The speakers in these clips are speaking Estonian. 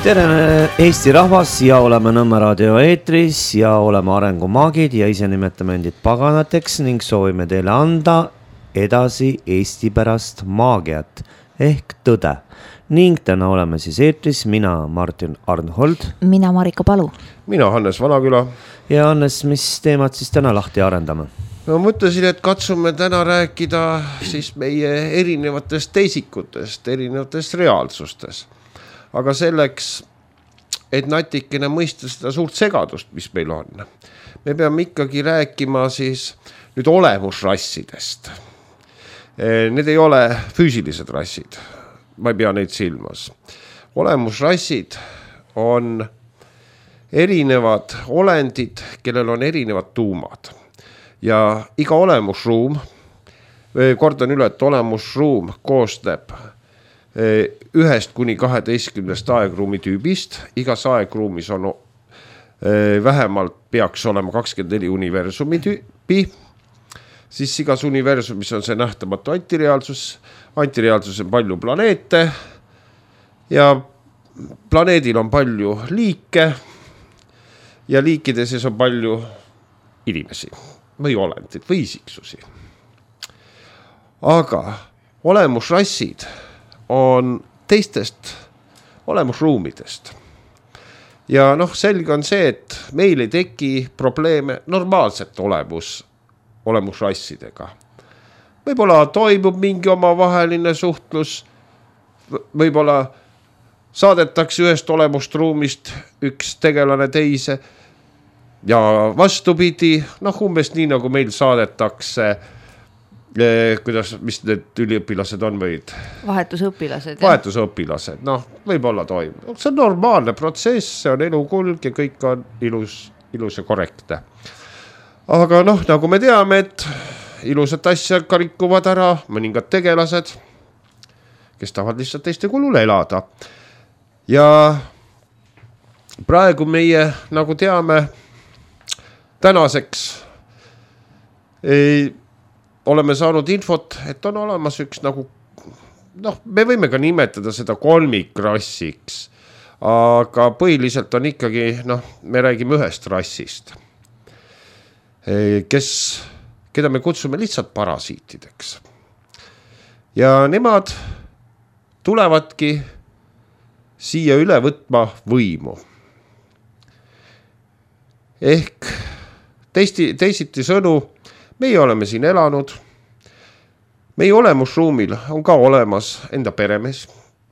Tere Eesti rahvas ja oleme Nõmme raadio eetris ja oleme arengumaagid ja ise nimetame endid paganateks ning soovime teile anda edasi Eesti pärast maagiat ehk tõde. Ning täna oleme siis eetris mina Martin Arnhold. Mina Marika Palu. Mina Hannes Vanaküla. Ja Hannes, mis teemad siis täna lahti arendame? Ma mõtlesin, et katsume täna rääkida siis meie erinevatest teisikutest, erinevatest reaalsustes. Aga selleks, et natikene mõista seda suurt segadust, mis meil on, me peame ikkagi rääkima siis nüüd olemusrassidest. Need ei ole füüsilised rassid, ma ei pea neid silmas. Olemusrassid on erinevad olendid, kellel on erinevad tuumad. Ja iga olemusruum, kordan üle, et olemusruum koosneb 1 kuni 12 aegruumi tüübist. Igas aegruumis on vähemalt peaks olema 24 universumi tüüpi. Siis igas universumis on see nähtamatu antireaalsus. Antireaalsus on palju planeete ja planeedil on palju liike ja liikide sees on palju inimesi või olendid või isiksusi. Aga olemusrassid on teistest olemusruumidest. Ja selge on see, et meil ei teki probleeme normaalsete olemusrassidega. Võib-olla toimub mingi omavaheline suhtlus, võib-olla saadetakse ühest olemusruumist üks tegelane teise ja vastupidi, umbes nii nagu meil saadetakse mis need üliõpilased on võid? Vahetusõpilased. Vahetusõpilased, võib-olla toimub. See on normaalne protsess, see on elukulg ja kõik on ilus ja korrektne. Aga nagu me teame, et ilusat asja ka rikuvad ära mõningad tegelased, kes tahavad lihtsalt teiste kulul elada. Ja praegu nagu teame, tänaseks oleme saanud infot, et on olemas üks me võime ka nimetada seda kolmikrassiks, aga põhiliselt on ikkagi, me räägime ühest rassist, keda me kutsume lihtsalt parasiitideks. Ja nemad tulevadki siia üle võtma võimu. Ehk teisiti sõnu, meie oleme siin elanud, meie olemusruumil on ka olemas enda peremees.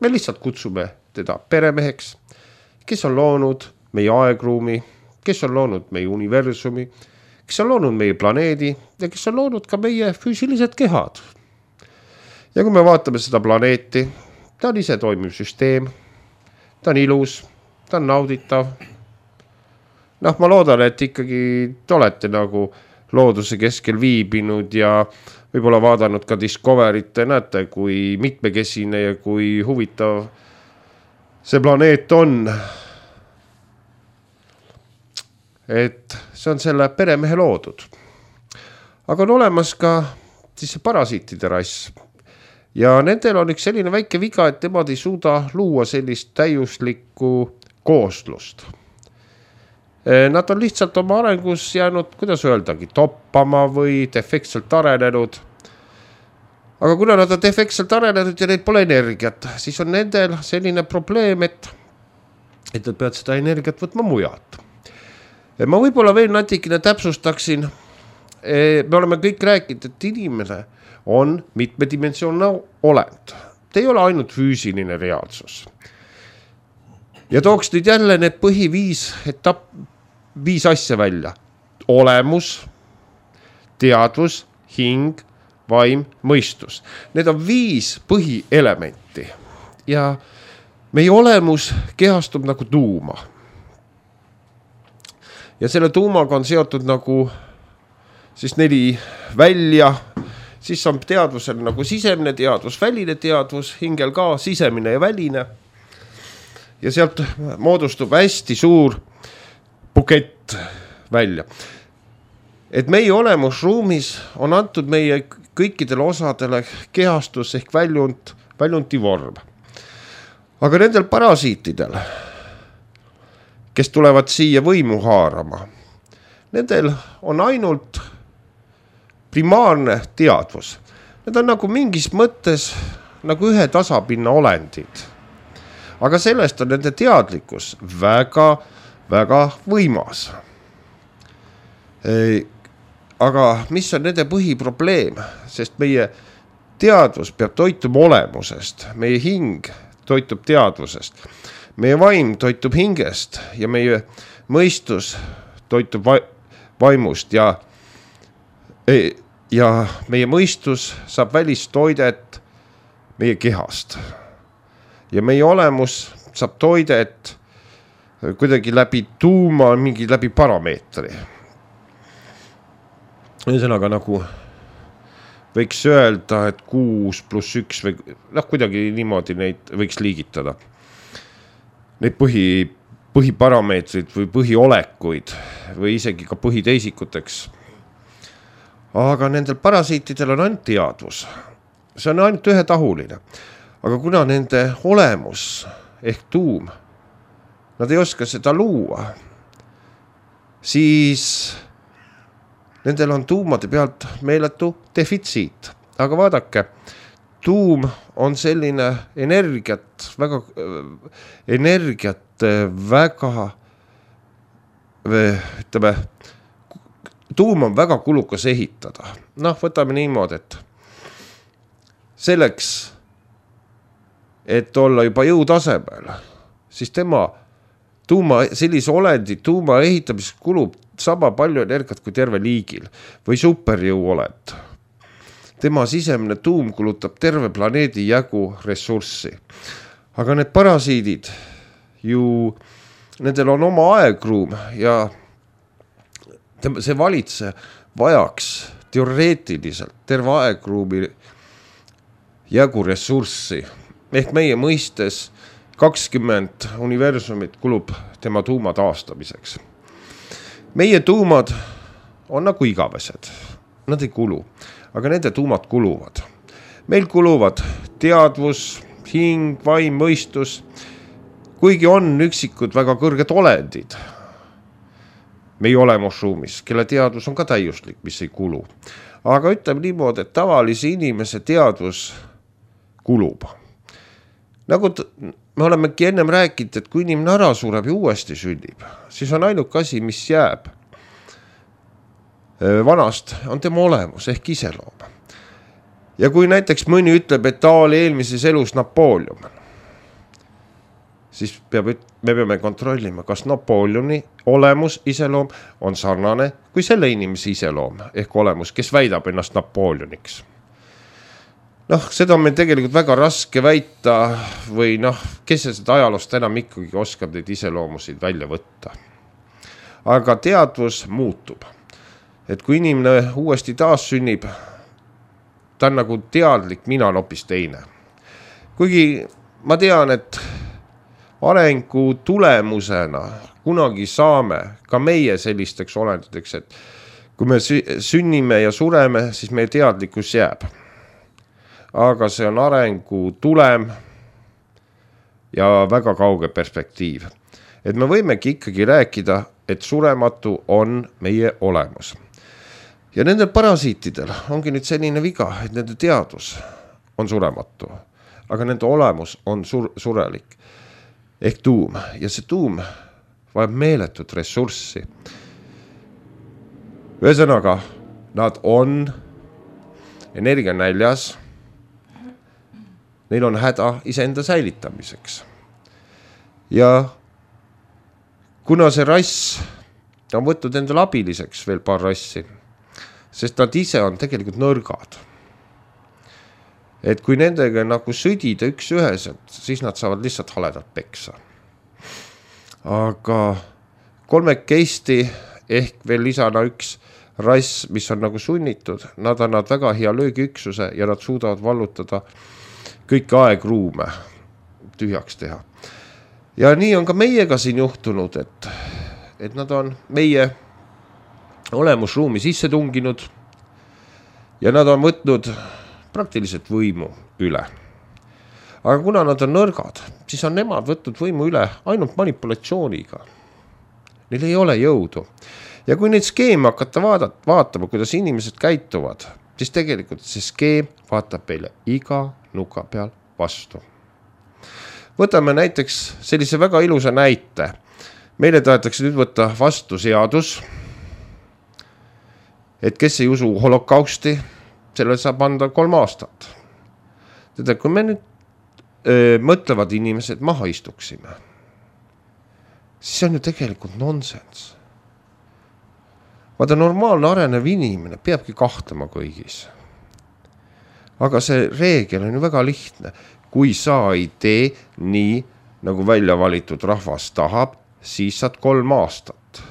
Me lihtsalt kutsume teda peremeheks, kes on loonud meie aegruumi, kes on loonud meie universumi, kes on loonud meie planeedi ja kes on loonud ka meie füüsilised kehad. Ja kui me vaatame seda planeeti, ta on ise toimiv süsteem, ta on ilus, ta on nauditav. Ma loodan, et ikkagi te olete looduse keskel viibinud ja võib-olla vaadanud ka Discoverit, näete, kui mitmekesine ja kui huvitav see planeet on. Et see on selle peremehe loodud. Aga on olemas ka siis parasiitide rass. Ja nendel on üks selline väike viga, et nemad ei suuda luua sellist täiuslikku kooslust. Nad on lihtsalt oma arengus jäänud, kuidas öeldagi, toppama või defektselt arenenud. Aga kuna nad on defektselt arenenud ja neil pole energiat, siis on nendel selline probleem, et nad peavad seda energiat võtma mujalt. Ma võib-olla veel natikene täpsustaksin. Me oleme kõik rääkinud, et inimene on mitmedimensioonne olend. Ta ei ole ainult füüsiline reaalsus. Ja tooks nüüd jälle need viis asja välja. Olemus, teadvus, hing, vaim, mõistus. Need on 5 põhielementi. Ja meie olemus kehastub nagu tuuma. Ja selle tuumaga on seotud siis 4 välja. Siis on teadvusel sisemine teadvus, väline teadvus, hingel ka sisemine ja väline. Ja sealt moodustub hästi suur bukett välja. Et meie olemusruumis on antud meie kõikidele osadele kehastus ehk väljunti vorm. Aga nendel parasiitidel kes tulevad siia võimu haarama, nendel on ainult primaarne teadvus. Need on nagu mingis mõttes nagu ühe tasapinna olendid. Aga sellest on nende teadlikkus väga, väga võimas. Aga mis on nende põhiprobleem? Sest meie teadvus peab toituma olemusest, meie hing toitub teadvusest, meie vaim toitub hingest ja meie mõistus toitub vaimust ja meie mõistus saab välistoidet meie kehast. Ja meie olemus saab toidet kuidagi läbi tuuma, mingi läbi parameetri. Ühesõnaga nagu võiks öelda, et 6+1 või kuidagi niimoodi neid võiks liigitada. Neid põhiparameetrid või põhiolekuid või isegi ka põhiteisikuteks. Aga nendel parasiitidel on ainult teadvus. See on ainult ühetahuline. Aga kuna nende olemus ehk tuum, nad ei oska seda luua, siis nendel on tuumade pealt meeletu defitsiit. Aga vaadake, tuum on selline energiat väga, ütleme, tuum on väga kulukas ehitada. Võtame niimoodi, et selleks, et olla juba jõutasemel, siis tema sellise olendi tuuma ehitamiseks kulub sama palju energiat kui terve liigil või superjõuolend. Tema sisemine tuum kulutab terve planeedi jagu ressurssi. Aga need parasiidid ju, nendel on oma aegruum ja see valitseja vajaks teoreetiliselt terve aegruumi jagu ressurssi. Ehk meie mõistes 20 universumit kulub tema tuuma taastamiseks. Meie tuumad on nagu igavesed. Nad ei kulu, aga nende tuumad kuluvad. Meil kuluvad teadvus, hing, vaim, mõistus, kuigi on üksikud väga kõrged olendid meie olemusruumis, kelle teadvus on ka täiuslik, mis ei kulu. Aga ütleme niimoodi, et tavalise inimese teadvus kulub. Nagu me olemegi ennem rääkinud, et kui inimene ära sureb ja uuesti sünnib, siis on ainuke asi, mis jääb vanast, on tema olemus ehk iseloom. Ja kui näiteks mõni ütleb, et ta oli eelmises elus Napoleon, siis me peame kontrollima, kas Napoleoni olemus, iseloom on sarnane kui selle inimese iseloom ehk olemus, kes väidab ennast Napoleoniks. Seda on meil tegelikult väga raske väita või kes seda ajaloost enam ikkagi oskab neid iseloomusid välja võtta. Aga teadvus muutub. Et kui inimene uuesti taas sünnib, ta on nagu teadlik, mina on hoopis teine. Kuigi ma tean, et arengu tulemusena kunagi saame ka meie sellisteks olenditeks, et kui me sünnime ja sureme, siis meie teadlikkus jääb. Aga see on arengu tulem ja väga kauge perspektiiv. Et me võimegi ikkagi rääkida, et surematu on meie olemus. Ja nendel parasiitidel ongi nüüd selline viga, et nende teadvus on surematu, aga nende olemus on surelik ehk tuum. Ja see tuum vajab meeletut ressurssi. Ühesõnaga, nad on energianäljas. Neil on häda iseenda säilitamiseks. Ja kuna see rass on võtnud endale abiliseks veel paar rassi, sest nad ise on tegelikult nõrgad. Et kui nendega nagu sõdida üks-üheselt, siis nad saavad lihtsalt haledalt peksa. Aga kolmekesti ehk veel lisana üks rass, mis on nagu sunnitud, nad annavad väga hea löögiüksuse ja nad suudavad vallutada kõiki aegruume tühjaks teha. Ja nii on ka meiega siin juhtunud, et nad on meie olemusruumi sisse tunginud ja nad on võtnud praktiliselt võimu üle. Aga kuna nad on nõrgad, siis on nemad võtnud võimu üle ainult manipulatsiooniga. neil ei ole jõudu. Ja kui neid skeeme hakata vaatama, kuidas inimesed käituvad, siis tegelikult see skeem vaatab meile iga nuka peal vastu. Võtame näiteks sellise väga ilusa näite. Meile tahetakse nüüd võtta vastu seadus, et kes ei usu holokausti, sellele saab anda 3 aastat. Teda, kui me nüüd mõtlevad inimesed maha istuksime, siis see on ju tegelikult nonsense. Vaata, normaalne arenev inimene peabki kahtlema kõigis. Aga see reegel on ju väga lihtne. Kui sa ei tee nii, nagu välja valitud rahvas tahab, siis saad 3 aastat.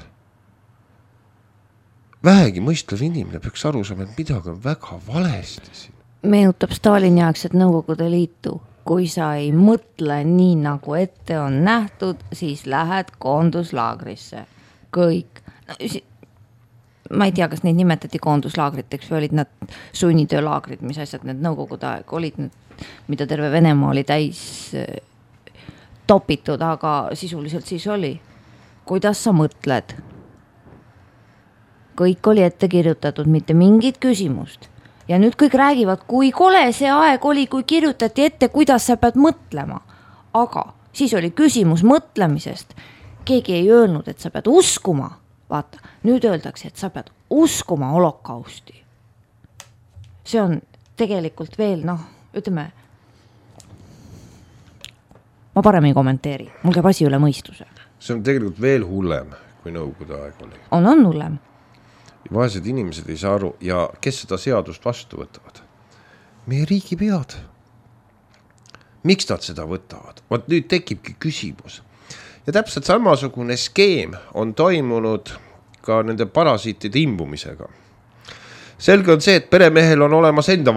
Vähegi mõistlev inimene peaks aru saama, et midagi on väga valesti siin. Meenutab Stalini aegset Nõukogude Liitu. Kui sa ei mõtle nii, nagu ette on nähtud, siis lähed koonduslaagrisse. Kõik. Ma ei tea, kas neid nimetati koonduslaagriteks või olid nad sunnitöölaagrid, mis asjad need Nõukogude aeg olid, mida terve Venemaa oli täis topitud, aga sisuliselt siis oli. Kuidas sa mõtled? Kõik oli ette kirjutatud, mitte mingit küsimust. Ja nüüd kõik räägivad, kui kole see aeg oli, kui kirjutati ette, kuidas sa pead mõtlema. Aga siis oli küsimus mõtlemisest. Keegi ei öelnud, et sa pead uskuma. Vaata, nüüd öeldakse, et sa pead uskuma holokausti. See on tegelikult veel, ütleme, ma parem ei kommenteeri. Mul käib asi üle mõistuse. See on tegelikult veel hullem, kui Nõukogude aeg oli. On hullem. Vaesed inimesed ei saa aru ja kes seda seadust vastu võtavad? Meie riigipead. Miks nad seda võtavad? Vaat nüüd tekibki küsimus. Ja täpselt samasugune skeem on toimunud ka nende parasiitide imbumisega. Selge on see, et peremehel on olemas enda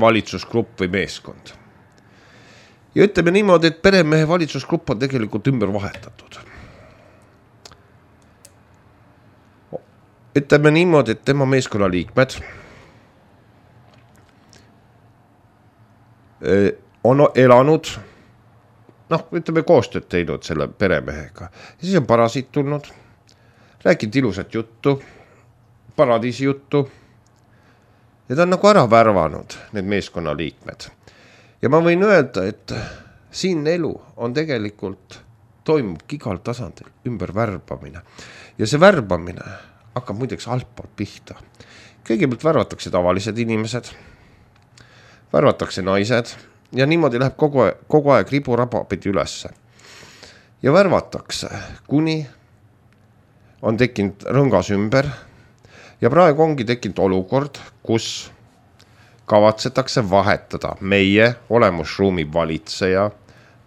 valitsusgrupp või meeskond. Ja ütleme niimoodi, et peremehe valitsusgrupp on tegelikult ümber vahetatud. Ütleme niimoodi, et tema meeskonna liikmed on elanud, ütleme koostööd teinud selle peremehega. Ja siis on parasiit tulnud, rääkinud ilusat juttu, paradiisi juttu. Ja ta on nagu ära värvanud need meeskonna liikmed. Ja ma võin öelda, et siin elu on tegelikult, toimub igal tasandil ümber värbamine. Ja see värbamine hakkab muideks altpoolt pihta. Kõigepealt värvatakse tavalised inimesed, värvatakse naised ja niimoodi läheb kogu aeg riburaba pidi ülesse. Ja värvatakse, kuni on tekkinud rõngas ümber ja praegu ongi tekkinud olukord, kus kavatsetakse vahetada meie olemusruumi valitseja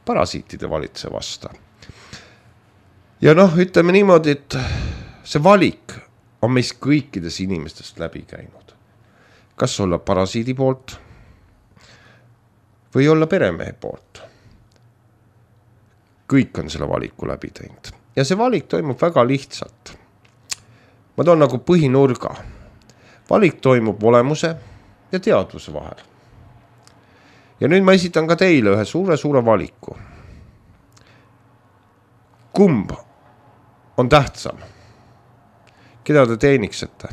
parasiitide valitse vasta. Ja ütleme niimoodi, et see valik on meist kõikidest inimestest läbi käinud. Kas olla parasiidi poolt või olla peremehe poolt. Kõik on selle valiku läbi teinud. Ja see valik toimub väga lihtsalt. Ma toon nagu põhinurga. Valik toimub olemuse ja teadvuse vahel. Ja nüüd ma esitan ka teile ühe suure valiku. Kumb on tähtsam? Keda te teeniksite?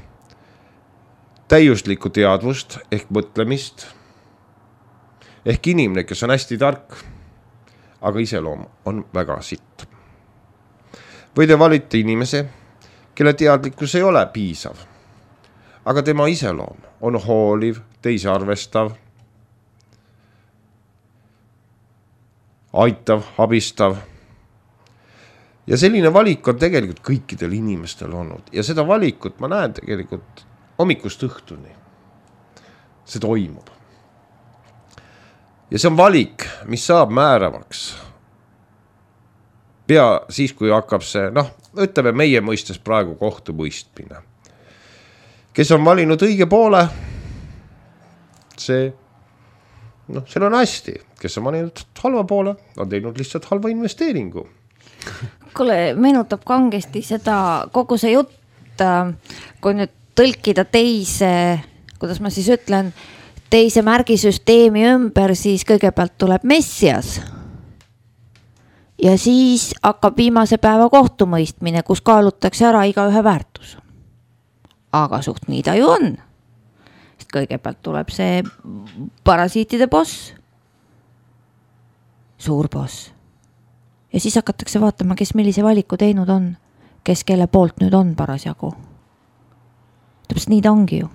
Täiuslikku teadvust ehk mõtlemist, ehk inimene, kes on hästi tark, aga iseloom on väga sitt. Või te valite inimese, kelle teadlikkus ei ole piisav, aga tema iseloom on hooliv, teisi arvestav, aitav, abistav. Ja selline valik on tegelikult kõikidel inimestel olnud. Ja seda valikut ma näen tegelikult hommikust õhtuni. See toimub. Ja see on valik, mis saab määravaks. Pea siis, kui hakkab see, ütleme meie mõistes praegu kohtumõistmine. Kes on valinud õige poole, see on hästi. Kes on valinud halva poole, on teinud lihtsalt halva investeeringu. Kuule, meenutab kangesti seda kogu see jutt, kui nüüd tõlkida teise, kuidas ma siis ütlen, teise märgisüsteemi ümber, siis kõigepealt tuleb Messias. Ja siis hakkab viimase päeva kohtumõistmine, kus kaalutakse ära iga ühe väärtus. Aga suht nii ta ju on. Sest kõigepealt tuleb see parasiitide boss. Suur boss. Ja siis hakatakse vaatama, kes millise valiku teinud on. Kes kelle poolt nüüd on parasjagu. Täpselt nii ta ongi ju.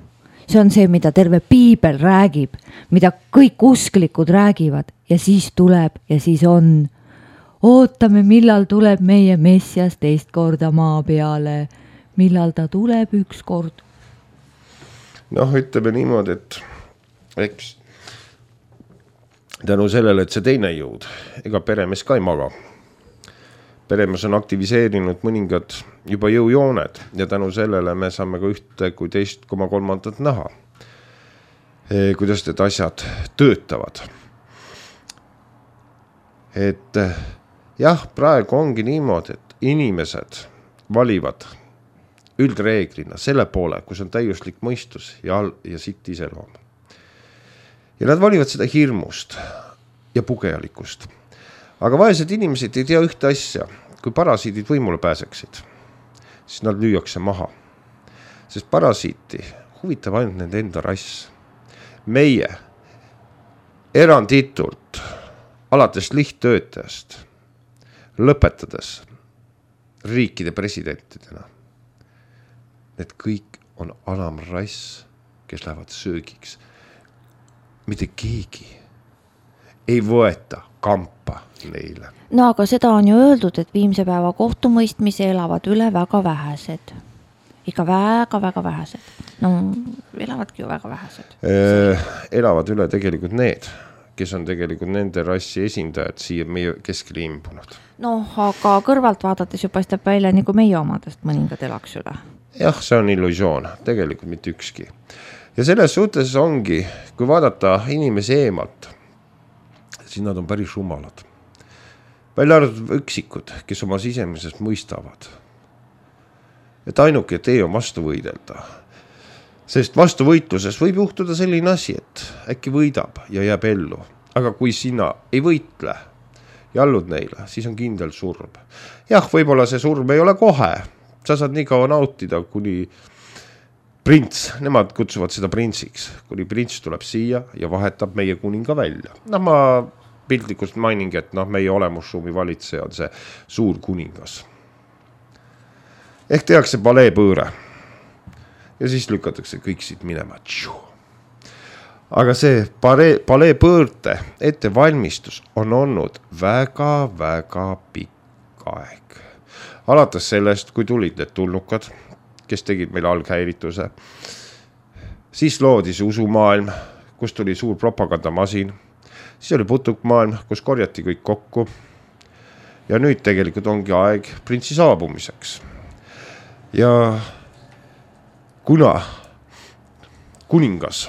See on see, mida terve piibel räägib, mida kõik usklikud räägivad ja siis tuleb ja siis on. Ootame, millal tuleb meie Messias teist korda maa peale. Millal ta tuleb üks kord? Ütleme niimoodi, et eks tänu sellele, et see teine jõud, ega peremees ka ei maga. Peremees on aktiviseerinud mõningad juba jõujooned ja tänu sellele me saame ka ühte kui teist koma kolmandat näha. Kuidas need asjad töötavad. Et jah, praegu ongi niimoodi, et inimesed valivad üldreeglina selle poole, kus on täiuslik mõistus ja sitt iseloom. Ja nad valivad seda hirmust ja pugejalikust. Aga vaesed inimesed ei tea ühte asja. Kui parasiidid võimule pääseksid, siis nad lüüakse maha. Sest parasiiti huvitab ainult nende enda rass. Meie eranditult alates lihttöötajast lõpetades riikide presidentidena. Need kõik on alamrass, kes lähevad söögiks. Mitte keegi ei võeta kampa neile. No aga seda on ju öeldud, et viimse päeva kohtumõistmise elavad üle väga vähesed. Ikka väga vähesed. No elavadki ju väga vähesed. Elavad üle tegelikult need, kes on tegelikult nende rassi esindajad siia meie keskele imbunud. Aga kõrvalt vaadates ju paistab välja nagu meie omadest mõningad elaks üle. Jah, see on illusioon, tegelikult mitte ükski. Ja selles suhtes ongi, kui vaadata inimese eemalt, siis nad on päris rumalad. Välja arvatud üksikud, kes oma sisemisest mõistavad. Et ainuke tee on vastu võidelda. Sest vastuvõitluses võib juhtuda selline asi, et äkki võidab ja jääb ellu. Aga kui sina ei võitle ja allud neile, siis on kindel surm. Jah, võib-olla see surm ei ole kohe. Sa saad nii kaua nautida, kuni prints, nemad kutsuvad seda printsiks, kuni prints tuleb siia ja vahetab meie kuninga välja. Ma piltlikult mainingi, et meie olemusruumi valitseja on see suur kuningas. Ehk tehakse paleepõõre ja siis lükatakse kõik siit minema. Aga see paleepõõrte ettevalmistus on olnud väga pikk aeg. Alates sellest, kui tulid need tulnukad, kes tegid meile alghäirituse, siis loodi see usumaailm, kus tuli suur propagandamasin, siis oli putukmaailm, kus korjati kõik kokku ja nüüd tegelikult ongi aeg printsi saabumiseks. Ja kuna kuningas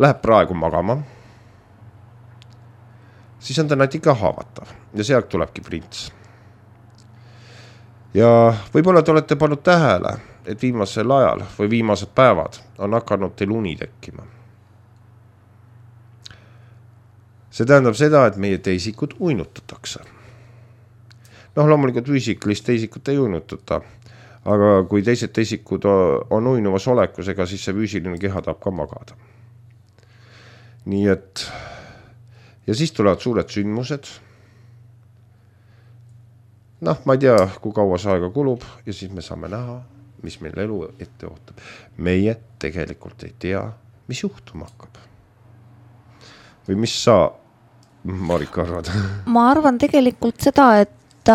läheb praegu magama, siis on ta natuke haavatav ja sealt tulebki prints. Ja võib-olla te olete pannud tähele, et viimasel ajal või viimased päevad on hakanud teil uni tekkima. See tähendab seda, et meie teisikud uinutatakse. Loomulikult füüsiklist teisikut ei uinutata, aga kui teised teisikud on uinuvas olekus, ega siis see füüsiline keha tahab ka magada. Nii et, ja siis tulevad suured sündmused. Ma ei tea, kui kaua see aega kulub ja siis me saame näha, mis meil elu ette ootab. Meie tegelikult ei tea, mis juhtuma hakkab. Või mis sa, Marika, arvad? Ma arvan tegelikult seda, et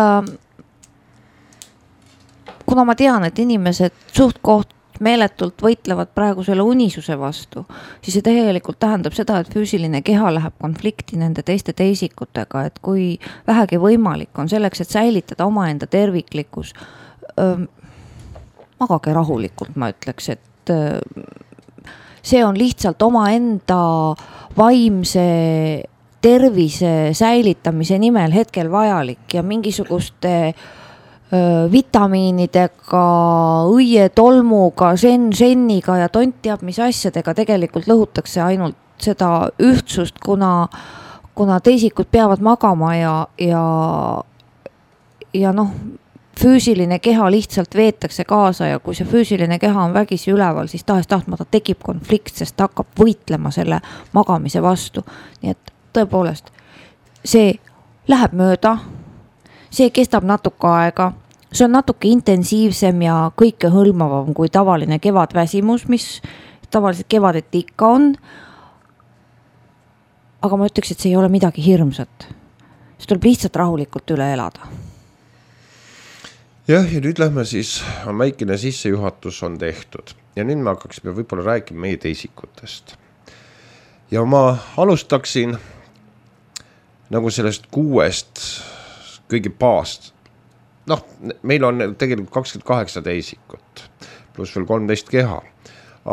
kuna ma tean, et inimesed suht koht meeletult võitlevad praegu selle unisuse vastu, siis see tegelikult tähendab seda, et füüsiline keha läheb konflikti nende teiste teisikutega, et kui vähegi võimalik on selleks, et säilitada omaenda terviklikkus, magage rahulikult, ma ütleks, et see on lihtsalt omaenda vaimse tervise säilitamise nimel hetkel vajalik ja mingisuguste vitamiinidega, õietolmuga, senniga ja tont teab mis asjadega tegelikult lõhutakse ainult seda ühtsust, kuna kuna teisikud peavad magama ja noh, füüsiline keha lihtsalt veetakse kaasa ja kui see füüsiline keha on vägisi üleval, siis tahes-tahtmata tekib konflikt, sest ta hakkab võitlema selle magamise vastu. Nii et tõepoolest, see läheb mööda, see kestab natuke aega, see on natuke intensiivsem ja kõike hõlmavam kui tavaline kevadväsimus, mis tavaliselt kevadeti ikka on. Aga ma ütleks, et see ei ole midagi hirmsat. See tuleb lihtsalt rahulikult üle elada. Jah, ja nüüd lähme siis, väikene sissejuhatus on tehtud ja nüüd me hakkaksime võib-olla rääkima meie teisikutest. Ja ma alustaksin nagu sellest 6 kõige paast. Noh, meil on tegelikult 28 teisikut, pluss veel 13 keha,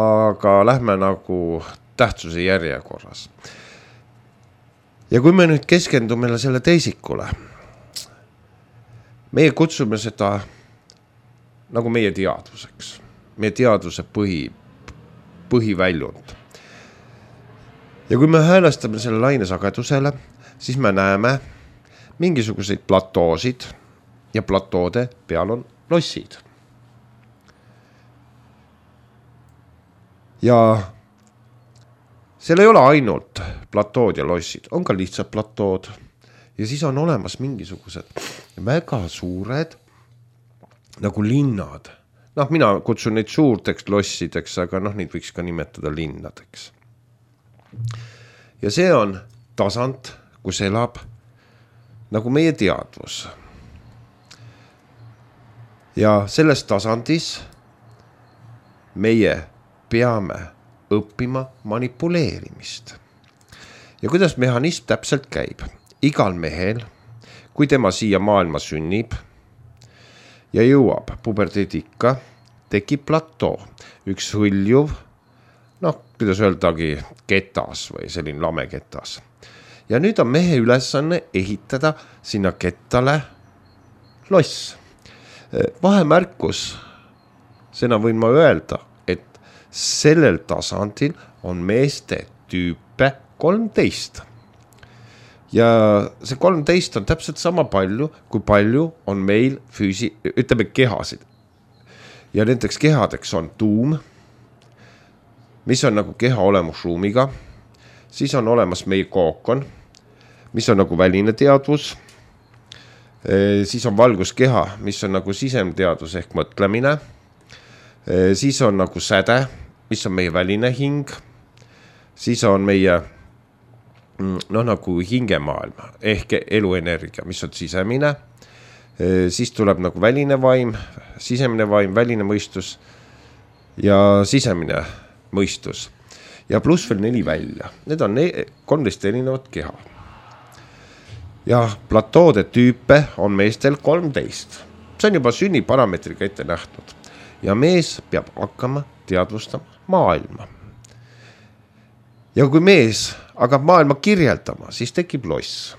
aga lähme nagu tähtsuse järjekorras. Ja kui me nüüd keskendume selle teisikule, meie kutsume seda nagu meie teadvuseks, meie teadvuse põhiväljund. Ja kui me häälestame selle lainesagedusele, siis me näeme mingisuguseid platoosid ja platoode peal on lossid. Ja seal ei ole ainult platood ja lossid, on ka lihtsalt platood. Ja siis on olemas mingisugused väga suured nagu linnad. Noh, mina kutsun neid suurteks lossideks, aga noh, neid võiks ka nimetada linnadeks. Ja see on tasand, kus elab nagu meie teadvus. Ja selles tasandis meie peame õppima manipuleerimist. Ja kuidas mehhanism täpselt käib? Igal mehel, kui tema siia maailma sünnib ja jõuab puberteedikka, tekib platoo, üks hõljuv, noh, kuidas öeldagi, ketas või selline lame ketas. Ja nüüd on mehe ülesanne ehitada sinna kettale loss. Vahemärkus, seda võin ma öelda, et sellel tasandil on meeste tüüpe 13. Ja see 13 on täpselt sama palju, kui palju on meil ütleme kehasid. Ja nendeks kehadeks on tuum, mis on nagu keha olemusruumiga. Siis on olemas meie kookon, mis on nagu väline teadvus. Siis on valguskeha, mis on nagu sisemteadvus ehk mõtlemine. Siis on nagu säde, mis on meie väline hing. Siis on meie nagu hingemaailma ehk eluenergia, mis on sisemine. Siis tuleb nagu väline vaim, sisemine vaim, väline mõistus ja sisemine mõistus. Ja pluss veel 4 välja. Need on 13 erinevat keha. Ja platoode tüüpe on meestel 13. See on juba sünniparameetriga ette nähtud. Ja mees peab hakkama teadvustama maailma. Ja kui mees hakkab maailma kirjeldama, siis tekib loss.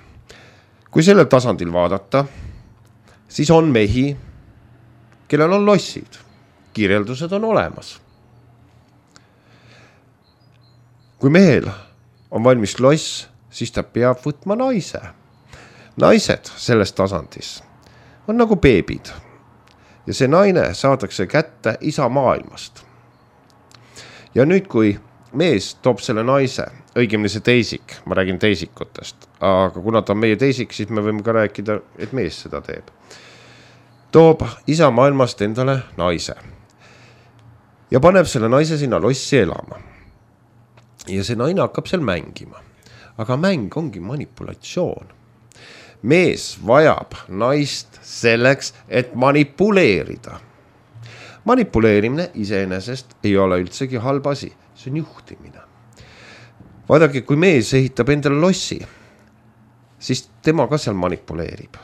Kui sellel tasandil vaadata, siis on mehi, kellel on lossid. Kirjeldused on olemas. Kui mehel on valmis loss, siis ta peab võtma naise. Naised selles tasandis on nagu beebid. Ja see naine saadakse kätte isa maailmast. Ja nüüd, kui mees toob selle naise, õigemini see teisik, ma räägin teisikutest, aga kuna ta on meie teisik, siis me võime ka rääkida, et mees seda teeb. Toob isa maailmast endale naise ja paneb selle naise sinna lossi elama. Ja see naine hakkab seal mängima, aga mäng ongi manipulatsioon. Mees vajab naist selleks, et manipuleerida. Manipuleerimine iseenesest ei ole üldsegi halb asi. See on juhtimine. Vaadake, kui mees ehitab endale lossi, siis tema ka seal manipuleerib.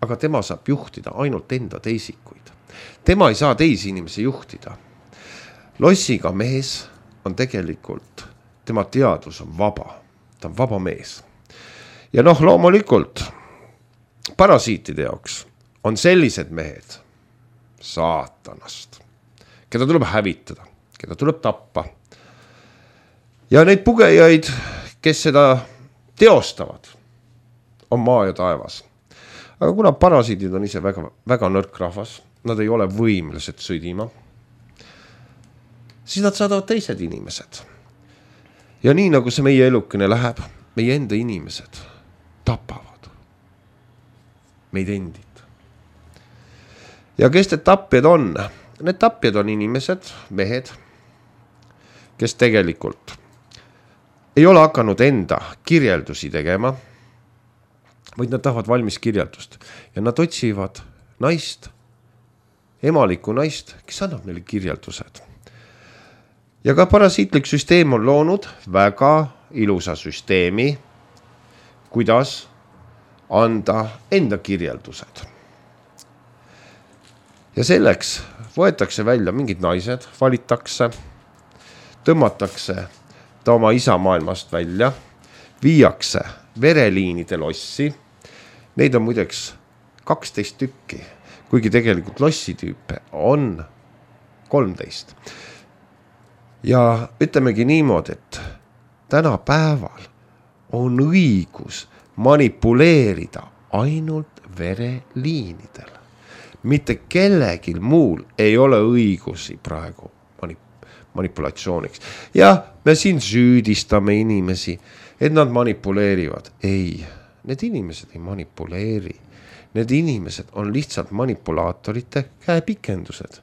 Aga tema saab juhtida ainult enda teisikuid. Tema ei saa teisi inimesi juhtida. Lossiga mees on tegelikult, tema teadvus on vaba. Ta on vaba mees. Ja noh, loomulikult, parasiitide jaoks on sellised mehed saatanast, keda tuleb hävitada, keda tuleb tappa. Ja neid pugejaid, kes seda teostavad, on maa ja taevas. Aga kuna parasiidid on ise väga, väga nõrk rahvas, nad ei ole võimelised sõdima, siis nad saadavad teised inimesed. Ja nii nagu see meie elukene läheb, meie enda inimesed tapavad meid endid. Ja kes need tapjad on? Need tapjad on inimesed, mehed, kes tegelikult ei ole hakanud enda kirjeldusi tegema, vaid nad tahavad valmis kirjeldust. Ja nad otsivad naist, emalikku naist, kes annab neile kirjeldused. Ja ka parasiitlik süsteem on loonud väga ilusa süsteemi, kuidas anda enda kirjeldused. Ja selleks võetakse välja mingid naised, valitakse, tõmmatakse ta oma isa maailmast välja, viiakse vereliinide lossi. Neid on muideks 12 tükki, kuigi tegelikult lossitüüpe on 13. Ja ütlemegi niimoodi, et tänapäeval on õigus manipuleerida ainult vereliinidel. Mitte kellegil muul ei ole õigusi praegu manipulatsiooniks. Ja me siin süüdistame inimesi, et nad manipuleerivad. Ei, need inimesed ei manipuleeri. Need inimesed on lihtsalt manipulaatorite käepikendused.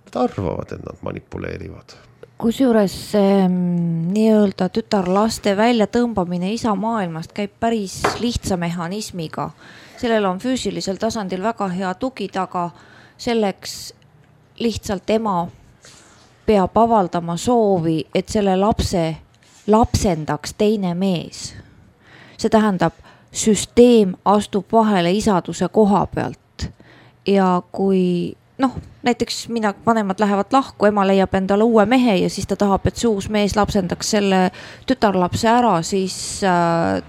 Nad arvavad, et nad manipuleerivad. Kusjuures nii-öelda tütarlaste välja tõmbamine isa maailmast käib päris lihtsa mehhanismiga. Sellel on füüsilisel tasandil väga hea tugi taga. Selleks lihtsalt ema peab avaldama soovi, et selle lapse lapsendaks teine mees. See tähendab, süsteem astub vahele isaduse koha pealt. Ja kui näiteks vanemad lähevad lahku, ema leiab endale uue mehe ja siis ta tahab, et see uus mees lapsendaks selle tütarlapse ära, siis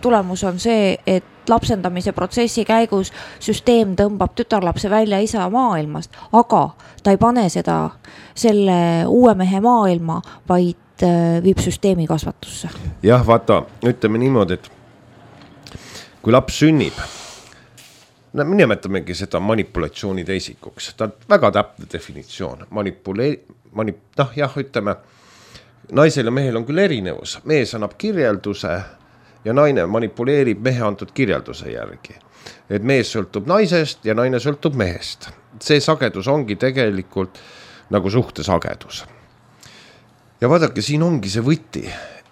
tulemus on see, et lapsendamise protsessi käigus süsteem tõmbab tütarlapse välja isa maailmast, aga ta ei pane seda selle uue mehe maailma, vaid viib süsteemi kasvatusse. Jah, vaata, ütleme niimoodi, et kui laps sünnib, nimetamegi seda manipulatsiooni teisikuks. Ta on väga täpne definitsioon. Ütleme, naisel ja mehel on küll erinevus. Mees annab kirjelduse ja naine manipuleerib mehe antud kirjelduse järgi. Et mees sõltub naisest ja naine sõltub mehest. See sagedus ongi tegelikult nagu suhtesagedus. Ja vaadake, siin ongi see võti,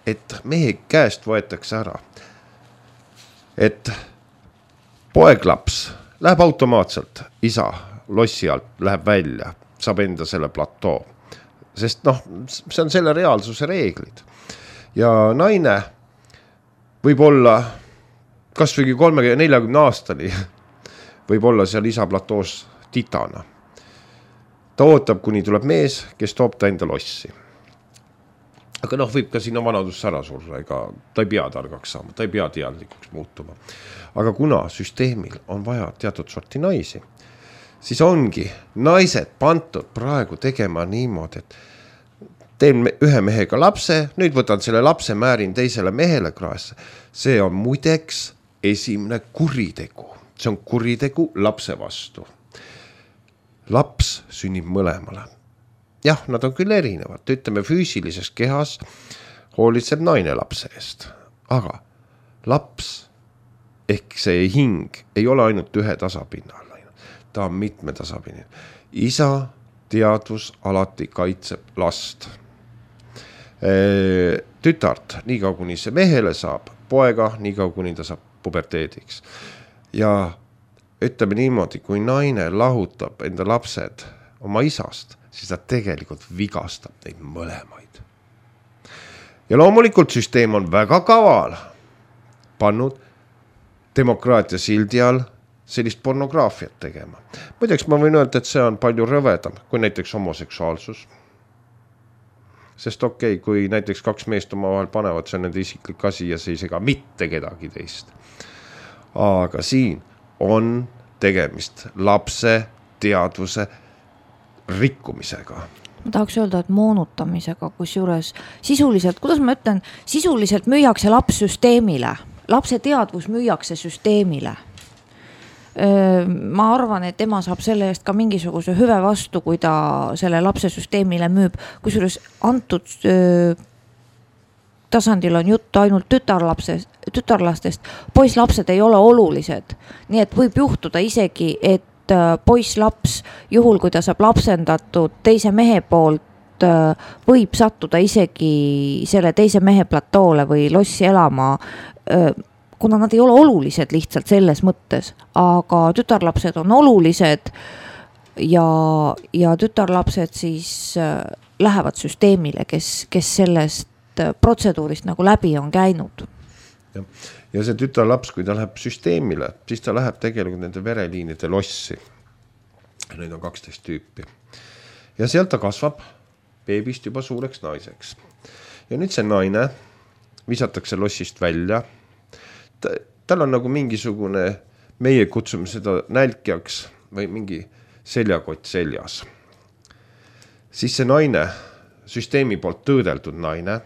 et mehe käest võetakse ära. Et poeglaps läheb automaatselt, isa lossi alt läheb välja, saab enda selle platoo. Sest see on selle reaalsuse reeglid. Ja naine võib olla kas või 30-40 aastani, võib olla seal isa platoos titana. Ta ootab, kuni tuleb mees, kes toob ta enda lossi. Aga võib ka sinna vanadusse ära surra, ega ta ei pea targaks saama, ta ei pea teadlikuks muutuma. Aga kuna süsteemil on vaja teatud sorti naisi, siis ongi naised pandud praegu tegema niimoodi, et teen ühe mehega lapse, nüüd võtan selle lapse, määrin teisele mehele kraesse. See on muideks esimene kuritegu. See on kuritegu lapse vastu. Laps sünnib mõlemale. Jah, nad on küll erinevad. Ütleme, füüsilises kehas hoolitseb naine lapse eest. Aga laps ehk see hing ei ole ainult ühe tasapinnal. Ta on mitme tasapinnal. Isa teadvus alati kaitseb last. Tütart, nii kaua kuni see mehele saab, poega, nii kaua kuni ta saab puberteediks. Ja ütleme niimoodi, kui naine lahutab enda lapsed oma isast, siis ta tegelikult vigastab neid mõlemaid. Ja loomulikult süsteem on väga kaval pannud demokraatia sildi all sellist pornograafiat tegema. Muideks ma võin öelda, et see on palju rõvedam kui näiteks homoseksuaalsus. Sest kui näiteks kaks meest oma vahel panevad, see on nende isiklik asi ja see ei sega mitte kedagi teist. Aga siin on tegemist lapse teadvuse rikkumisega. Ma tahaks öelda, et moonutamisega, kusjuures sisuliselt, kuidas ma ütlen, sisuliselt müüakse laps süsteemile. lapse teadvus müüakse süsteemile. Ma arvan, et ema saab selle eest ka mingisuguse hüve vastu, kui ta selle lapse süsteemile müüb, kusjuures antud tasandil on jutt ainult tütarlastest, poisslapsed ei ole olulised. Nii et võib juhtuda isegi, et poisslaps, juhul kui ta saab lapsendatud teise mehe poolt, võib sattuda isegi selle teise mehe platoole või lossi elama, kuna nad ei ole olulised lihtsalt selles mõttes, aga tütarlapsed on olulised ja tütarlapsed siis lähevad süsteemile, kes sellest protseduurist nagu läbi on käinud. Ja see tütarlaps, kui ta läheb süsteemile, siis ta läheb tegelikult nende vereliinide lossi. Neid on 12 tüüpi. Ja sealt ta kasvab beebist juba suureks naiseks. Ja nüüd see naine visatakse lossist välja. Tal on nagu mingisugune, meie kutsume seda nälkjaks või mingi seljakott seljas. Siis see naine, süsteemi poolt tõõdeldud naine,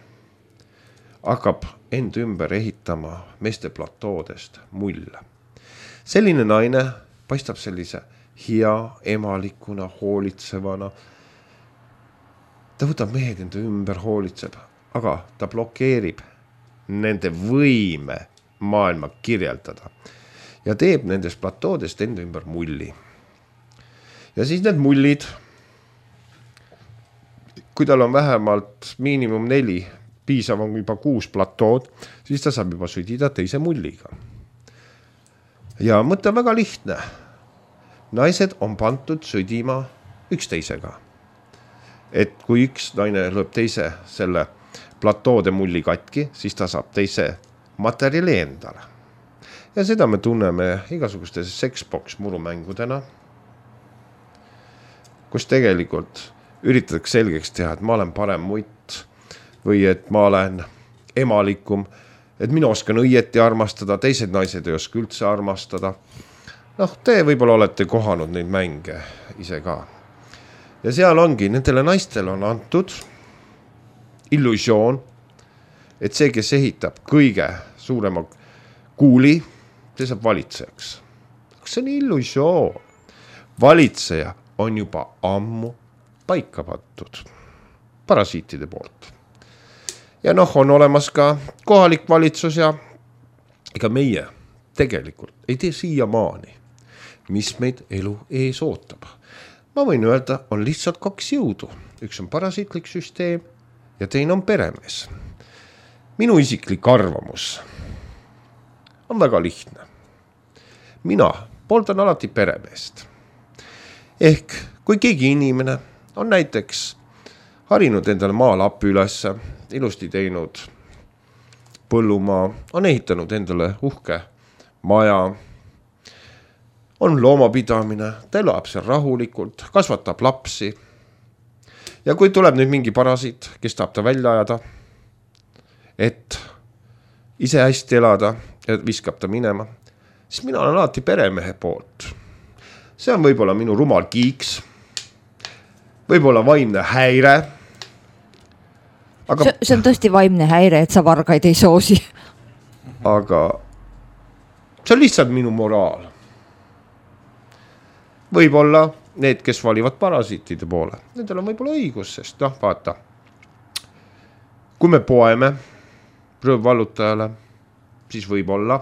hakkab end ümber ehitama meeste platoodest mulle. Selline naine paistab sellise hea, emalikuna, hoolitsevana. Ta võtab mehed enda ümber, hoolitseb, aga ta blokeerib nende võime maailma kirjeldada ja teeb nendest platoodest enda ümber mulli. Ja siis need mullid, kui tal on vähemalt miinimum 4, piisav on juba 6 platood, siis ta saab juba sõdida teise mulliga. Ja mõte on väga lihtne. Naised on pandud sõdima üksteisega. Et kui üks naine lööb teise selle platoode mulli katki, siis ta saab teise materjali endale. Ja seda me tunneme igasuguste sexbox murumängudena, kus tegelikult üritatakse selgeks teha, et ma olen parem mutt või et ma olen emalikum, et mina oskan õieti armastada, teised naised ei oska üldse armastada. Te võib-olla olete kohanud neid mänge ise ka. Ja seal ongi, nendele naistel on antud illusioon, et see, kes ehitab kõige suurema kuuli, see saab valitsejaks. See on illusioon. Valitseja on juba ammu paika pandud parasiitide poolt. Ja on olemas ka kohalik valitsus ja ega meie tegelikult ei tee siiamaani, mis meid elu ees ootab. Ma võin öelda, on lihtsalt 2 jõudu. Üks on parasiitlik süsteem ja teine on peremees. Minu isiklik arvamus on väga lihtne. Mina pooldan alati peremeest. Ehk kui keegi inimene on näiteks harinud endale maalapi ülesse, ilusti teinud põllumaa, on ehitanud endale uhke maja, on loomapidamine, ta elab seal rahulikult, kasvatab lapsi. Ja kui tuleb nüüd mingi parasiit, kes tahab ta välja ajada, et ise hästi elada ja viskab ta minema, siis mina olen alati peremehe poolt. See on võib-olla minu rumal kiiks, võib-olla vaimne häire. Aga see on tõesti vaimne häire, et sa vargaid ei soosi. Aga see on lihtsalt minu moraal. Võib-olla need, kes valivad parasiitide poole, nendel on võib-olla õigus, sest vaata, kui me poeme rõõvvallutajale, siis võib-olla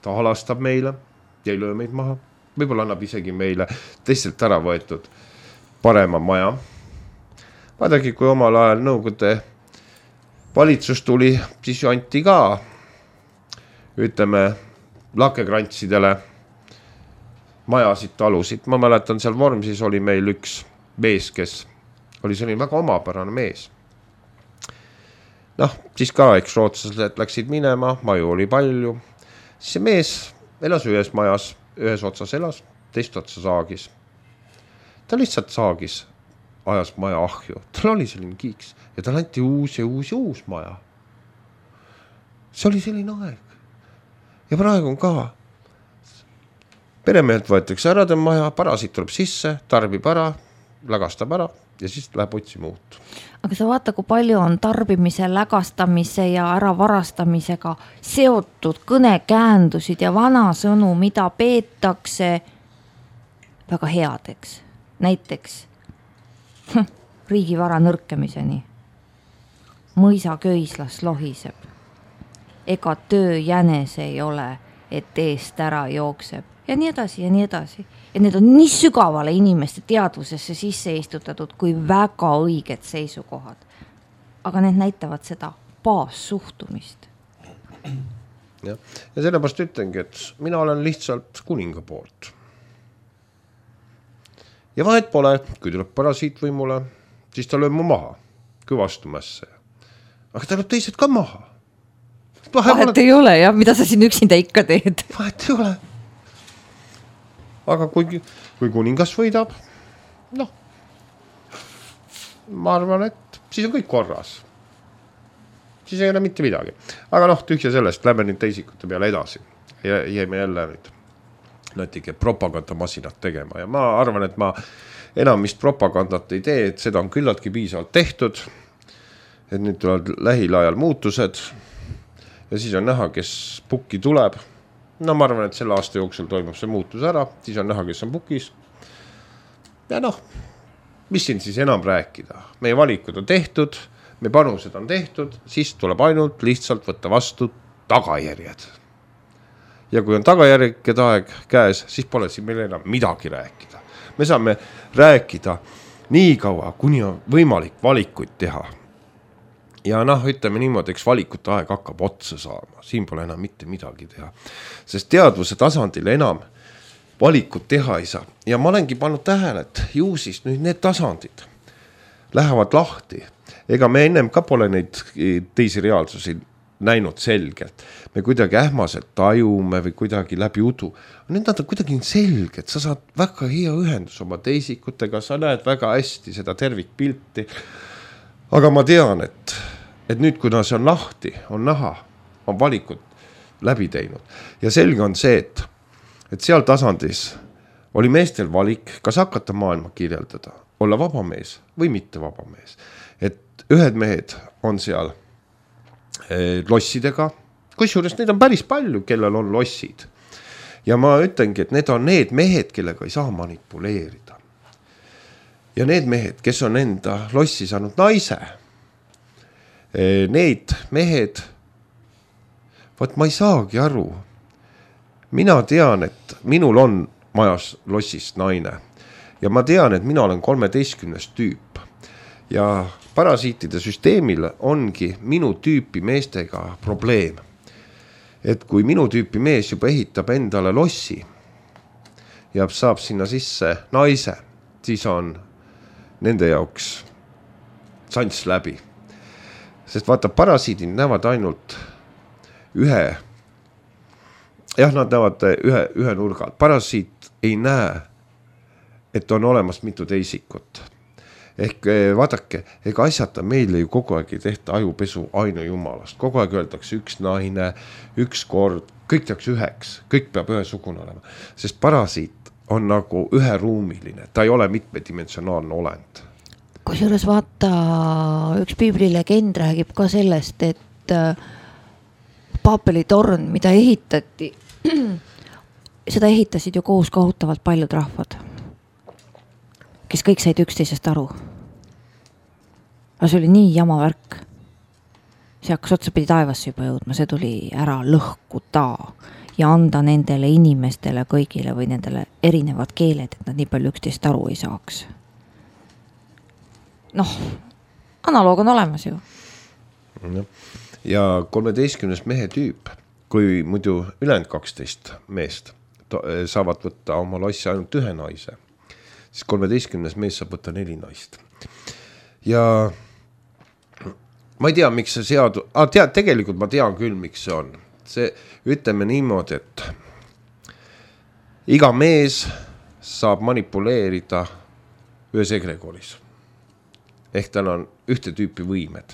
ta halastab meile ja ei löö meid maha. Võib-olla annab isegi meile teistelt ära võetud parema maja. Vaadagi, kui omal ajal Nõukogude valitsus tuli, siis ju anti ka, ütleme, lakekrantsidele majasid, talusid. Ma mäletan, seal Vormsis oli meil üks mees, kes oli selline väga omapärane mees. Siis ka, eks rootslased läksid minema, maju oli palju. Siis see mees elas ühes majas, ühes otsas elas, teist otsa saagis. Ta lihtsalt saagis, ajas maja ahju. Tal oli selline kiiks ja tal anti uus maja. See oli selline aeg. Ja praegu on ka. Peremehelt võetakse ära tema maja, parasiit tuleb sisse, tarbib ära, lagastab ära, ja siis läheb otsima uut. Aga sa vaata, kui palju on tarbimise, lägastamise ja äravarastamisega seotud kõnekäändusid ja vanasõnu, mida peetakse väga headeks. Näiteks riigivara nõrkemiseni. Mõisa köislas lohiseb. Ega töö jänes ei ole, et eest ära jookseb. Ja nii edasi ja nii edasi. Ja need on nii sügavale inimeste teadvusesse sisse istutatud kui väga õiged seisukohad. Aga need näitavad seda baassuhtumist. Ja sellepärast ütlengi, et mina olen lihtsalt kuninga poolt. Ja vahet pole, kui tuleb parasiit võimule, siis ta lööb mu maha, kui vastumässe. Aga ta lööb teised ka maha. Vahet ei ole, jah, mida sa siin üksinda ikka teed. Vahet ei ole. Aga kui kuningas võidab, ma arvan, et siis on kõik korras. Siis ei ole mitte midagi. Aga tühja sellest, lähme nüüd teisikute peale edasi. Jäime jälle nüüd natuke propagandamasinat tegema. Ja ma arvan, et ma enam vist propagandat ei tee, et seda on küllaltki piisavalt tehtud. Et nüüd tulevad lähiajal muutused. Ja siis on näha, kes pukki tuleb. Ma arvan, et selle aasta jooksul toimub see muutus ära, siis on näha, kes on pukis. Ja mis siin siis enam rääkida? Meie valikud on tehtud, meie panused on tehtud, siis tuleb ainult lihtsalt võtta vastu tagajärjed. Ja kui on tagajärjed aeg käes, siis pole siin meil enam midagi rääkida. Me saame rääkida nii kaua, kuni on võimalik valikuid teha. Ja ütleme niimoodi, eks valikute aeg hakkab otsa saama. Siin pole enam mitte midagi teha. Sest teadvuse tasandil enam valikut teha ei saa. Ja ma olengi pannud tähele, et ju siis nüüd need tasandid lähevad lahti. Ega me ennem ka pole neid teisi reaalsusi näinud selgelt. Me kuidagi ähmaselt tajume või kuidagi läbi udu. Need on kuidagi selged. Sa saad väga hea ühendus oma teisikutega. Sa näed väga hästi seda tervikpilti. Aga ma tean, et nüüd, kuna see on lahti, on näha, on valikud läbi teinud. Ja selge on see, et seal tasandis oli meestel valik, kas hakata maailma kirjeldada, olla vaba mees või mitte vaba mees. Et ühed mehed on seal lossidega, kusjuures neid on päris palju, kellel on lossid. Ja ma ütlengi, et need on need mehed, kellega ei saa manipuleerida. Ja need mehed, kes on enda lossi saanud naise, need mehed, ma ei saagi aru. Mina tean, et minul on majas lossist naine ja ma tean, et mina olen 13. tüüp ja parasiitide süsteemil ongi minu tüüpi meestega probleem. Et kui minu tüüpi mees juba ehitab endale lossi ja saab sinna sisse naise, siis on nende jaoks sants läbi. Sest vaata, parasiidid näevad ainult nad näevad ühe nurga. Parasiit ei näe, et on olemas mitu teisikut. Ehk vaadake, ega asjata meile ju kogu aeg ei tehta ajupesu ainu jumalast. Kogu aeg öeldakse üks naine, üks kord, kõik tehakse üheks, kõik peab ühesugune olema. Sest parasiit on nagu üheruumiline, ta ei ole mitmedimensionaalne olend. Kusjuures vaata, üks piiblilegend räägib ka sellest, et Paapeli torn, mida ehitati, seda ehitasid ju koos kohutavalt paljud rahvad, kes kõik said üksteisest aru. Aga see oli nii jama värk. See hakkas otsapidi taevasse juba jõudma, see tuli ära lõhkuda ja anda nendele inimestele kõigile või nendele erinevad keeled, et nad nii palju üksteist aru ei saaks. Analoog on olemas ju. Ja 13. mehe tüüp, kui muidu ülejäänud 12 meest saavad võtta oma lossi ainult ühe naise, siis 13. mees saab võtta 4 naist. Ja ma ei tea, miks see tegelikult ma tean küll, miks see on. See, ütleme niimoodi, et iga mees saab manipuleerida ühes egregoris. Ehk tal on ühte tüüpi võimed.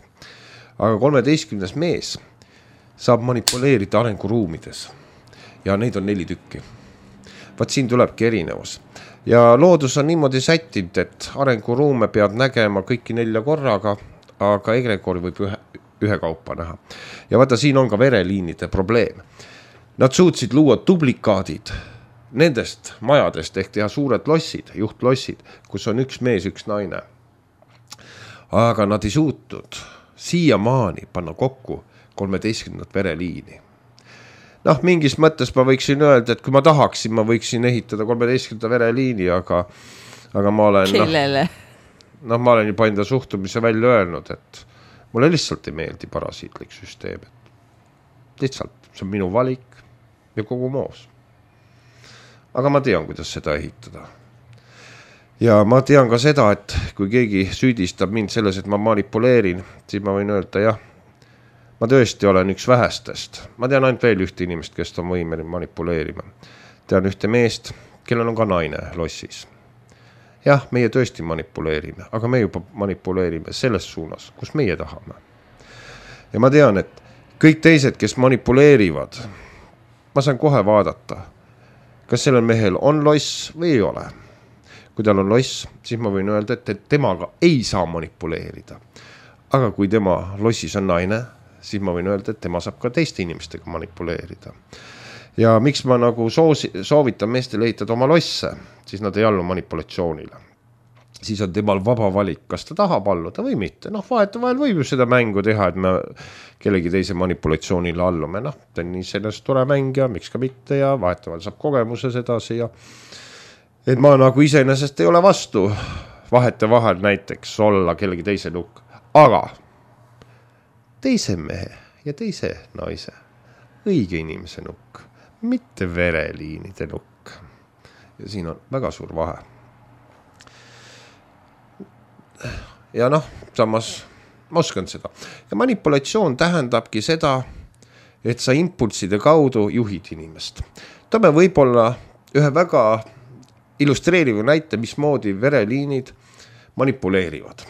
Aga 13. mees saab manipuleerida arenguruumides. Ja neid on 4 tükki. Vaat siin tulebki erinevus. ja loodus on niimoodi sättinud, et arenguruume pead nägema kõiki 4 korraga, aga egrekoori võib ühe kaupa näha. Ja vaata, siin on ka vereliinide probleem. Nad suutsid luua duplikaadid nendest majadest ehk teha suured lossid, juhtlossid, kus on üks mees, üks naine. Aga nad ei suutnud siiamaani panna kokku 13. vereliini. Noh, mingis mõttes ma võiksin öelda, et kui ma tahaksin, ma võiksin ehitada 13. vereliini, aga ma olen... Kellele? Ma olen juba enda suhtumise välja öelnud, et mulle lihtsalt ei meeldi parasiitlik süsteem. Lihtsalt, see on minu valik ja kogu moos. Aga ma tean, kuidas seda ehitada. Ja ma tean ka seda, et kui keegi süüdistab mind selles, et ma manipuleerin, siis ma võin öelda, jah, ma tõesti olen üks vähestest. Ma tean ainult veel ühte inimest, kes on võimeline manipuleerima. Tean ühte meest, kellel on ka naine lossis. Jah, meie tõesti manipuleerime, aga me juba manipuleerime selles suunas, kus meie tahame. Ja ma tean, et kõik teised, kes manipuleerivad, ma saan kohe vaadata, kas sellel mehel on loss või ei ole. Kui tal on loss, siis ma võin öelda, et temaga ei saa manipuleerida. Aga kui tema lossis on naine, siis ma võin öelda, et tema saab ka teiste inimestega manipuleerida. Ja miks ma nagu soovitan meestel ehitada oma losse, siis nad ei allu manipulatsioonile. Siis on temal vaba valik, kas ta tahab alluda või mitte. Vahetevahel võib ju seda mängu teha, et me kellegi teise manipulatsioonile allume. Ta on nii sellest tore mäng ja miks ka mitte ja vahetevahel saab kogemuses edasi ja et ma nagu iseenesest ei ole vastu vahetevahel näiteks olla kellegi teise nukk. Aga teise mehe ja teise naise õige inimese nukk, mitte vereliinide nukk. Ja siin on väga suur vahe. Ja samas ma oskan seda. Ja manipulatsioon tähendabki seda, et sa impulside kaudu juhid inimest. Toome võib-olla ühe väga illustreeriva näite, mismoodi vereliinid manipuleerivad.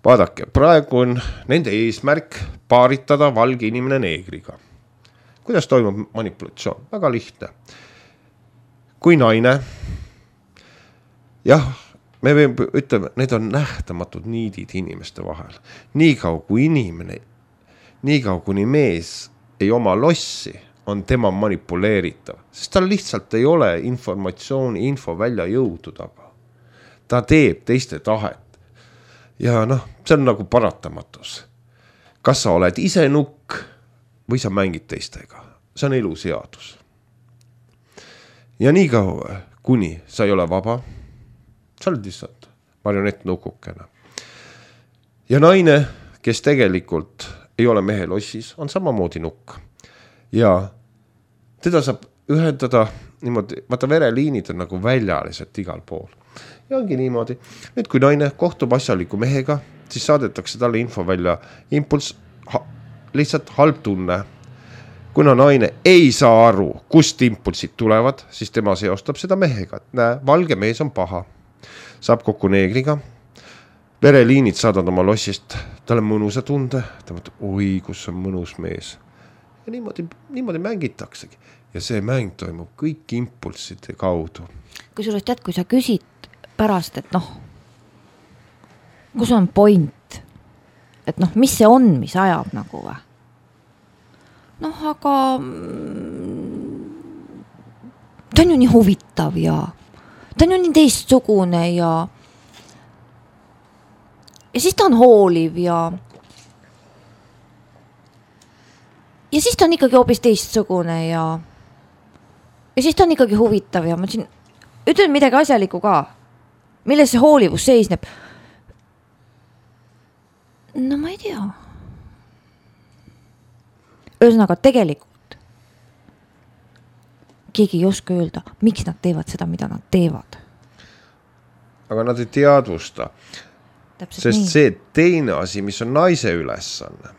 Vaadake, praegu on nende eesmärk paaritada valge inimene neegriga. Kuidas toimub manipulatsioon? Väga lihtne. Kui naine, jah, me ütleme, need on nähtamatud niidid inimeste vahel. Niikaua kui inimene, niikaua kuni mees ei oma lossi, on tema manipuleeritav, sest tal lihtsalt ei ole info välja jõudu taga. Ta teeb teiste tahet. Ja see on nagu paratamatus. Kas sa oled ise nukk või sa mängid teistega? See on eluseadus. Ja nii kaua, kuni sa ei ole vaba, sa oled lihtsalt marionett nukukene. Ja naine, kes tegelikult ei ole mehe lossis, on samamoodi nukk. Ja teda saab ühendada niimoodi, vaata vereliinid on nagu väljaliselt igal pool. Ja ongi niimoodi. Nüüd kui naine kohtub asjaliku mehega, siis saadetakse talle info välja impuls, lihtsalt halb tunne. Kuna naine ei saa aru, kust impulsid tulevad, siis tema seostab seda mehega. Näe, valge mees on paha. Saab kokku neegriga. Vereliinid saadavad oma lossist talle mõnusa tunde. Ta mõtleb, oi, kus on mõnus mees. Ja niimoodi mängitaksegi. Ja see mäng toimub kõik impulside kaudu. Kusjuures tead, kui sa küsid pärast, et kus on point? Et mis see on, mis ajab nagu või? Aga ta on ju nii huvitav ja ta on ju nii teistsugune ja siis ta on hooliv ja siis ta on ikkagi hoopis teistsugune ja siis ta on ikkagi huvitav ja ma ütlen midagi asjalikku ka. Milles see hoolivus seisneb? Ma ei tea. Ühesõnaga tegelikult keegi ei oska öelda, miks nad teevad seda, mida nad teevad. Aga nad ei teadvusta. Täpselt sest nii. See teine asi, mis on naise ülesanne.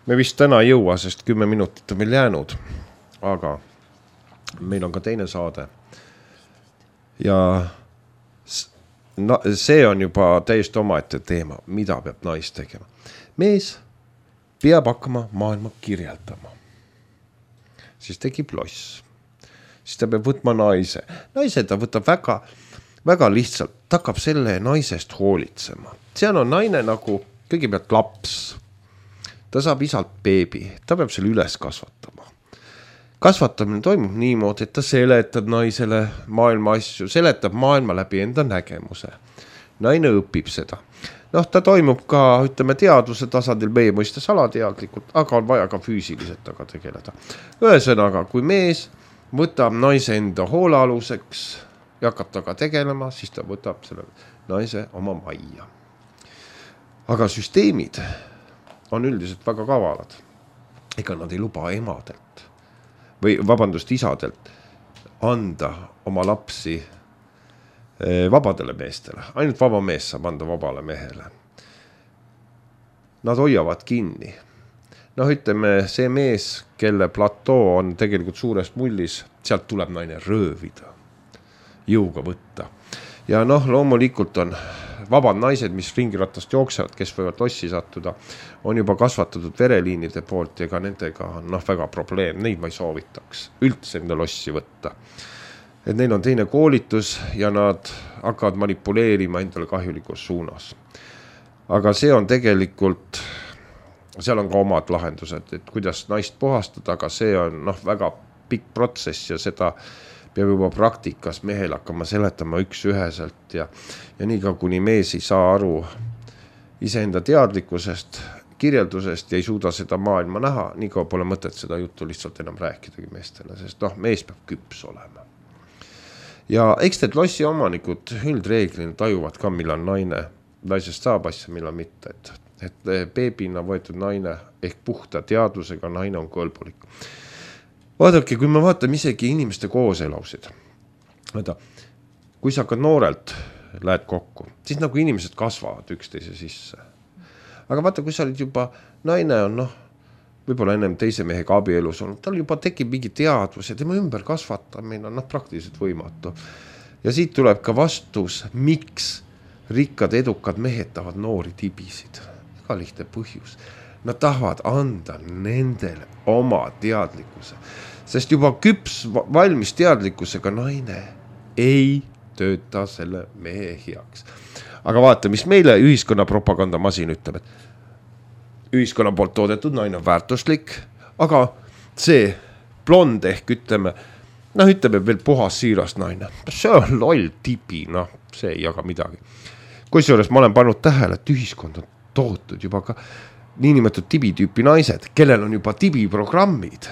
Me vist täna ei jõua, sest 10 minutit on meil jäänud, aga meil on ka teine saade. Ja see on juba täiesti omaette teema, mida peab nais tegema. Mees peab hakkama maailma kirjeldama. Siis tekib loss. Siis ta peab võtma naise. Naise ta võtab väga väga lihtsalt, ta hakkab selle naisest hoolitsema. Seal on naine nagu kõigepealt laps. Ta saab isalt beebi, ta peab selle üles kasvatama. Kasvatamine toimub niimoodi, et ta seletab naisele maailma asju, seletab maailma läbi enda nägemuse. Naine õpib seda. Noh, ta toimub ka, ütleme, teadvuse tasandil meie mõistes alateadlikult, aga on vaja ka füüsiliselt taga tegeleda. Ühesõnaga, kui mees võtab naise enda hoolealuseks ja hakkab taga tegelema, siis ta võtab selle naise oma majja. Aga süsteemid on üldiselt väga kavalad. Ega nad ei luba emadelt või vabandust isadelt anda oma lapsi vabadele meestele. Ainult vaba mees saab anda vabale mehele. Nad hoiavad kinni. Noh, ütleme, see mees, kelle platoo on tegelikult suures mullis, sealt tuleb naine röövida, jõuga võtta. Ja noh, loomulikult on vabad naised, mis ringiratast jooksevad, kes võivad lossi sattuda, on juba kasvatatud vereliinide poolt ja ka nendega on väga probleem. Neid ma ei soovitaks üldse enda lossi võtta. Et neil on teine koolitus ja nad hakkavad manipuleerima endale kahjulikus suunas. Aga see on tegelikult, seal on ka omad lahendused, et kuidas naist puhastada, aga see on väga pikk protsess ja seda peab juba praktikas mehel hakkama seletama üks-üheselt ja nii ka kuni mees ei saa aru iseenda teadlikkusest, kirjeldusest ja ei suuda seda maailma näha, nii ka pole mõtet seda juttu lihtsalt enam rääkidagi meestele, sest mees peab küps olema. Ja eks need lossi omanikud üldreeglina tajuvad ka, millal naisest saab asja, millal mitte, et beebina võetud naine ehk puhta teadvusega naine on kõlbulik. Vaadake, kui me vaatame isegi inimeste kooselusid, kui sa hakkad noorelt lähed kokku, siis nagu inimesed kasvavad üksteise sisse. Aga vaata, kui sa olid juba, naine on võib-olla ennem teise mehega abielus olnud, tal juba tekib mingi teadvus ja tema ümber kasvatamine on praktiliselt võimatu. Ja siit tuleb ka vastus, miks rikkad edukad mehed tahavad noori tibisid. Väga lihtne põhjus. Nad tahavad anda nendele oma teadlikkuse, sest juba küps valmis teadlikkusega naine ei tööta selle mehe heaks. Aga vaata, mis meile ühiskonna propagandamasin ütleb, et ühiskonna poolt toodetud naine on väärtuslik, aga see blond ehk ütleme veel puhas siiras naine, see on loll tibi, see ei jaga midagi. Kusjuures ma olen pannud tähele, et ühiskond on tootud juba ka niinimetatud tibitüüpi naised, kellel on juba tibiprogrammid,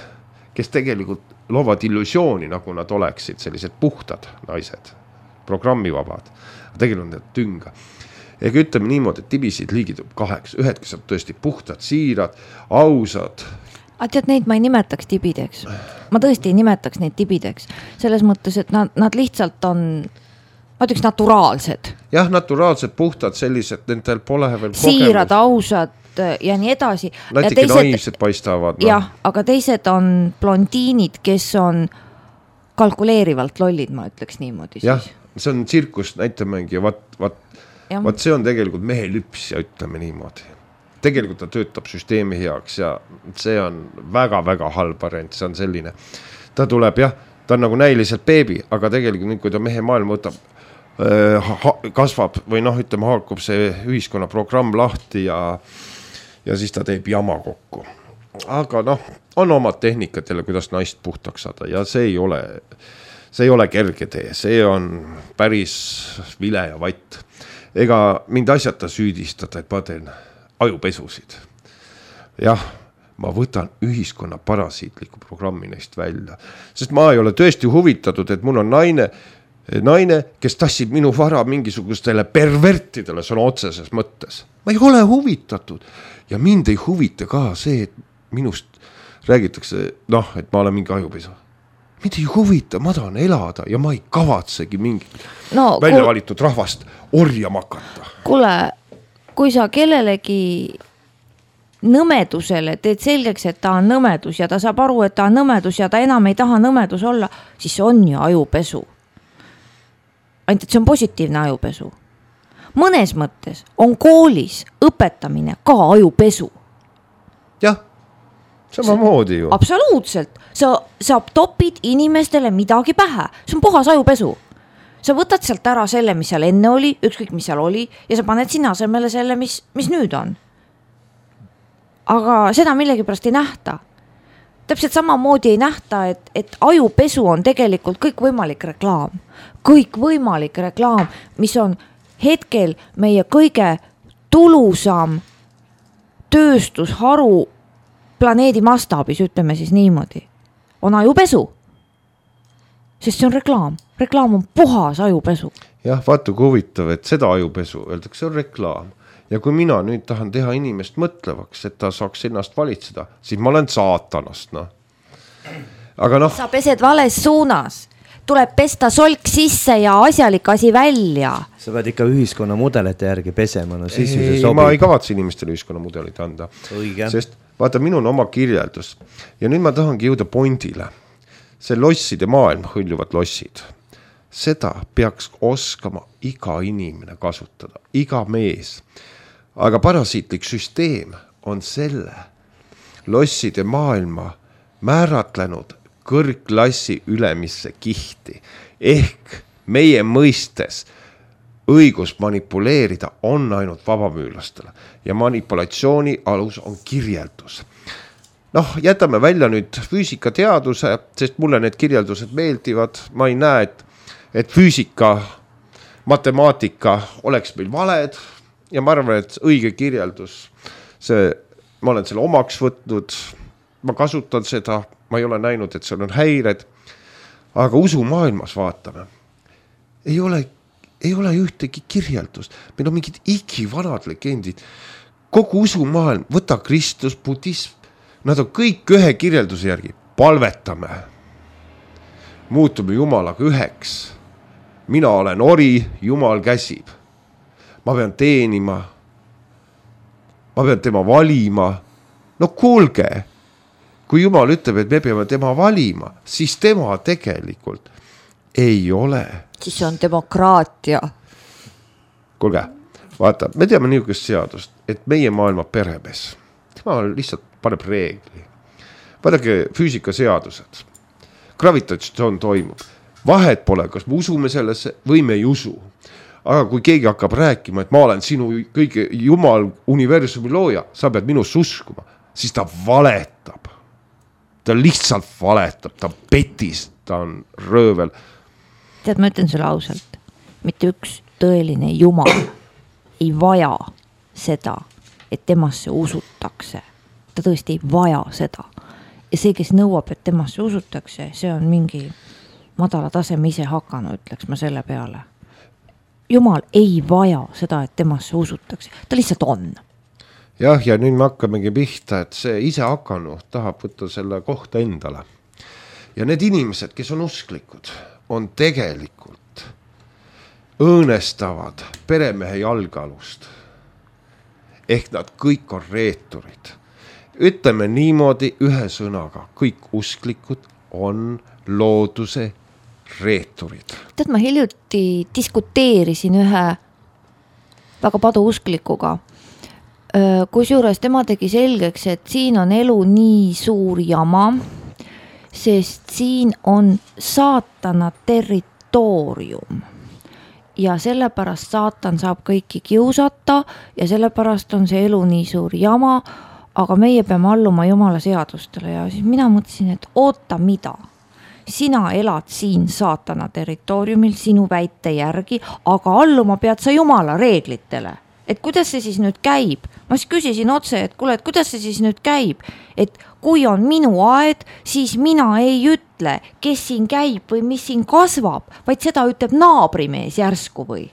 kes tegelikult loovad illusiooni, nagu nad oleksid sellised puhtad naised, programmivabad, tegelikult on need tünga. Ega ütleme niimoodi, et tibisid liigitub 8, ühed, kes on tõesti puhtad, siirad, ausad. Tead, neid ma ei nimetaks tibideks. Ma tõesti ei nimetaks neid tibideks. Selles mõttes, et nad lihtsalt on, ma ütleks, naturaalsed. Jah, naturaalsed, puhtad, sellised, nendel pole veel kogemus. Siirad, ausad ja nii edasi. Natuke naivsed paistavad. Jah, aga teised on blondiinid, kes on kalkuleerivalt lollid, ma ütleks niimoodi. Jah, see on tsirkus näitamängi ja vaat see on tegelikult mehe lüps ja ütleme niimoodi. Tegelikult ta töötab süsteemi heaks ja see on väga-väga halb variant, see on selline. Ta tuleb ta on nagu näiliselt beebi, aga tegelikult kui ta mehe maailma võtab, kasvab või ütleme, haakub see ühiskonna programm lahti ja siis ta teeb jama kokku. Aga on omad tehnikad jälle, kuidas naist puhtaks saada ja see ei ole kerge tee, see on päris vile ja vatt. Ega mind asjata süüdistada, et ma teen ajupesusid. Jah, ma võtan ühiskonna parasiitliku programmi neist välja, sest ma ei ole tõesti huvitatud, et mul on naine, kes tassib minu vara mingisugustele pervertidele sõna otseses mõttes. Ma ei ole huvitatud ja mind ei huvita ka see, et minust räägitakse, et ma olen mingi ajupesu. Mind ei huvita, ma tahan elada ja ma ei kavatsegi mingit välja valitud rahvast orjama hakata. Kuule, kui sa kellelegi nõmedusele teed selgeks, et ta on nõmedus ja ta saab aru, et ta on nõmedus ja ta enam ei taha nõmedus olla, siis see on ju ajupesu. Ainult, et see on positiivne ajupesu. Mõnes mõttes on koolis õpetamine ka ajupesu. Jah, samamoodi ju. Absoluutselt. Sa topid inimestele midagi pähe. See on puhas ajupesu. sa võtad sealt ära selle, mis seal enne oli, ükskõik mis seal oli ja sa paned sinna asemele selle, mis nüüd on. Aga seda millegipärast ei nähta. Täpselt samamoodi ei nähta, et ajupesu on tegelikult kõikvõimalik reklaam. Kõikvõimalik reklaam, mis on hetkel meie kõige tulusam tööstusharu planeedi mastaabis, ütleme siis niimoodi, on ajupesu. Sest see on reklaam. Reklaam on puhas ajupesu. Jah, vaata kui huvitav, et seda ajupesu öeldakse on reklaam. Ja kui mina nüüd tahan teha inimest mõtlevaks, et ta saaks ennast valitseda, siis ma olen saatanast. No. Aga noh. Sa pesed vales suunas. Tuleb pesta solk sisse ja asjalik asi välja. Sa pead ikka ühiskonna mudelite järgi pesema, no siis see sobib. Ma ei kavatse inimestele ühiskonna mudelit anda. Õige. Sest vaata, minul on oma kirjeldus. Ja nüüd ma tahangi jõuda pointile. See losside maailm, hõljuvad lossid. Seda peaks oskama iga inimene kasutada, iga mees. Aga parasiitlik süsteem on selle losside maailma määratlenud kõrgklassi ülemisse kihti. Ehk meie mõistes õigus manipuleerida on ainult vabamüülastele ja manipulatsiooni alus on kirjeldus. Noh, jätame välja nüüd füüsikateaduse, sest mulle need kirjeldused meeldivad. Ma ei näe, et füüsika, matemaatika oleks meil valed ja ma arvan, et õige kirjeldus, ma olen selle omaks võtnud, ma kasutan seda, ma ei ole näinud, et seal on häired, aga usumaailmas vaatame. Ei ole ühtegi kirjeldust, meil on mingid igivanad legendid, kogu usumaailm, võta Kristus, budism, nad on kõik ühe kirjelduse järgi, palvetame, muutume Jumalaga üheks, mina olen ori, Jumal käsib. Ma pean teenima, ma pean tema valima. No kuulge, kui Jumal ütleb, et me peame tema valima, siis tema tegelikult ei ole. Siis on demokraatia. Kuulge, vaata, me teame niisugust seadust, et meie maailma peremees, tema lihtsalt paneb reegli. Vaadake füüsikaseadused, gravitatsioon toimub, vahet pole, kas me usume sellesse või me ei usu. Aga kui keegi hakkab rääkima, et ma olen sinu kõige Jumal universumi looja, sa pead minust uskuma, siis ta valetab. Ta lihtsalt valetab, ta petis, ta on röövel. Tead, ma ütlen sulle ausalt, mitte üks tõeline Jumal ei vaja seda, et temasse usutakse. Ta tõesti ei vaja seda. Ja see, kes nõuab, et temasse usutakse, see on mingi madala taseme ise hakanud, ütleks ma selle peale. Jumal ei vaja seda, et temasse usutakse. Ta lihtsalt on. Jah, ja nüüd me hakkamegi pihta, et see ise hakanu tahab võtta selle kohta endale. Ja need inimesed, kes on usklikud, on tegelikult õõnestavad peremehe jalgalust. Ehk nad kõik on reeturid. Ütleme niimoodi ühe sõnaga, kõik usklikud on looduse reeturid. Tead, ma hiljuti diskuteerisin ühe väga paduusklikuga, kusjuures tema tegi selgeks, et siin on elu nii suur jama, sest siin on saatana territoorium ja sellepärast saatan saab kõiki kiusata ja sellepärast on see elu nii suur jama, aga meie peame alluma Jumala seadustele ja siis mina mõtlesin, et oota mida? Sina elad siin saatana territooriumil sinu väite järgi, aga alluma pead sa Jumala reeglitele. Et kuidas see siis nüüd käib? Ma siis küsisin otse, et kuule, et kuidas see siis nüüd käib? Et kui on minu aed, siis mina ei ütle, kes siin käib või mis siin kasvab, vaid seda ütleb naabrimees järsku või?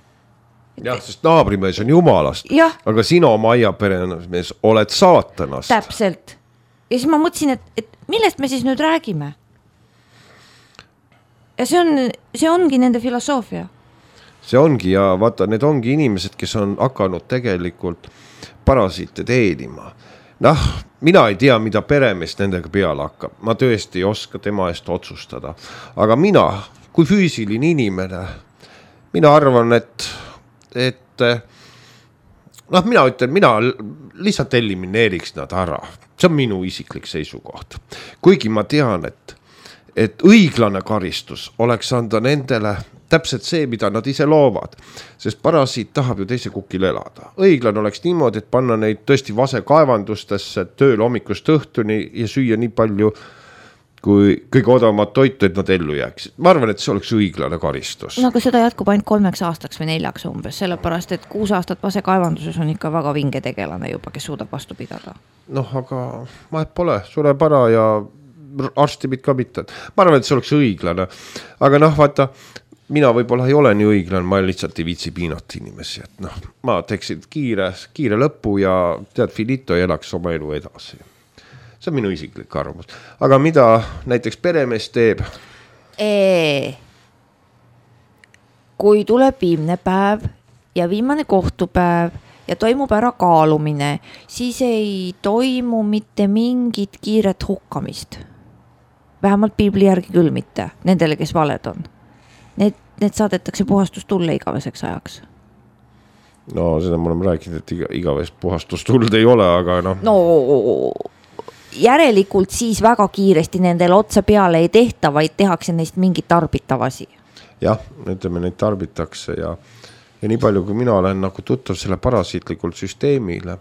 Jah, sest naabrimees on Jumalast, jah. Aga sina oma aiaperemees oled saatanast. Täpselt. Ja siis ma mõtlesin, et millest me siis nüüd räägime? Ja see ongi nende filosoofia. See ongi ja vaata, need ongi inimesed, kes on hakanud tegelikult parasiite teenima. Noh, mina ei tea, mida peremees nendega peale hakkab. Ma tõesti ei oska tema eest otsustada. Aga mina, kui füüsiline inimene, mina arvan, et mina ütlen, mina lihtsalt elimineeriks nad ära. See on minu isiklik seisukoht. Kuigi ma tean, et õiglane karistus oleks anda nendele, täpselt see, mida nad ise loovad, sest parasiit tahab ju teise kukil elada. Õiglane oleks niimoodi, et panna neid tõesti vasekaevandustesse tööl hommikust õhtuni ja süüa nii palju kui kõige odavamat toitu, et nad ellu jääksid. Ma arvan, et see oleks õiglane karistus. No aga seda jätkub ainult 3 aastaks või 4 umbes, sellepärast, et 6 aastat vasekaevanduses on ikka väga vinge tegelane juba, kes suudab vastu pidada. Noh, aga vahet pole, sureb ära ja arstibid ka mitte. Ma arvan, et see oleks õiglane. Aga noh, vaata, mina võib-olla ei ole nii õiglane, ma lihtsalt ei viitsi piinata inimesi. Et noh, ma teeksin kiire lõpu ja tead, finito ja elaks oma elu edasi. See on minu isiklik arvamus. Aga mida näiteks peremees teeb? Kui tuleb viimne päev ja viimane kohtupäev ja toimub ära kaalumine, siis ei toimu mitte mingit kiiret hukkamist. Vähemalt piibli järgi küll mitte, nendele, kes valed on. Need saadetakse puhastustulle igaveseks ajaks. No seda me oleme rääkinud, et igavest puhastustuld ei ole, aga noh. No järelikult siis väga kiiresti nendele otsa peale ei tehta, vaid tehakse neist mingit tarbitavasi. Jah, ütleme, neid tarbitakse ja nii palju, kui mina olen nagu tuttav selle parasiitlikult süsteemile,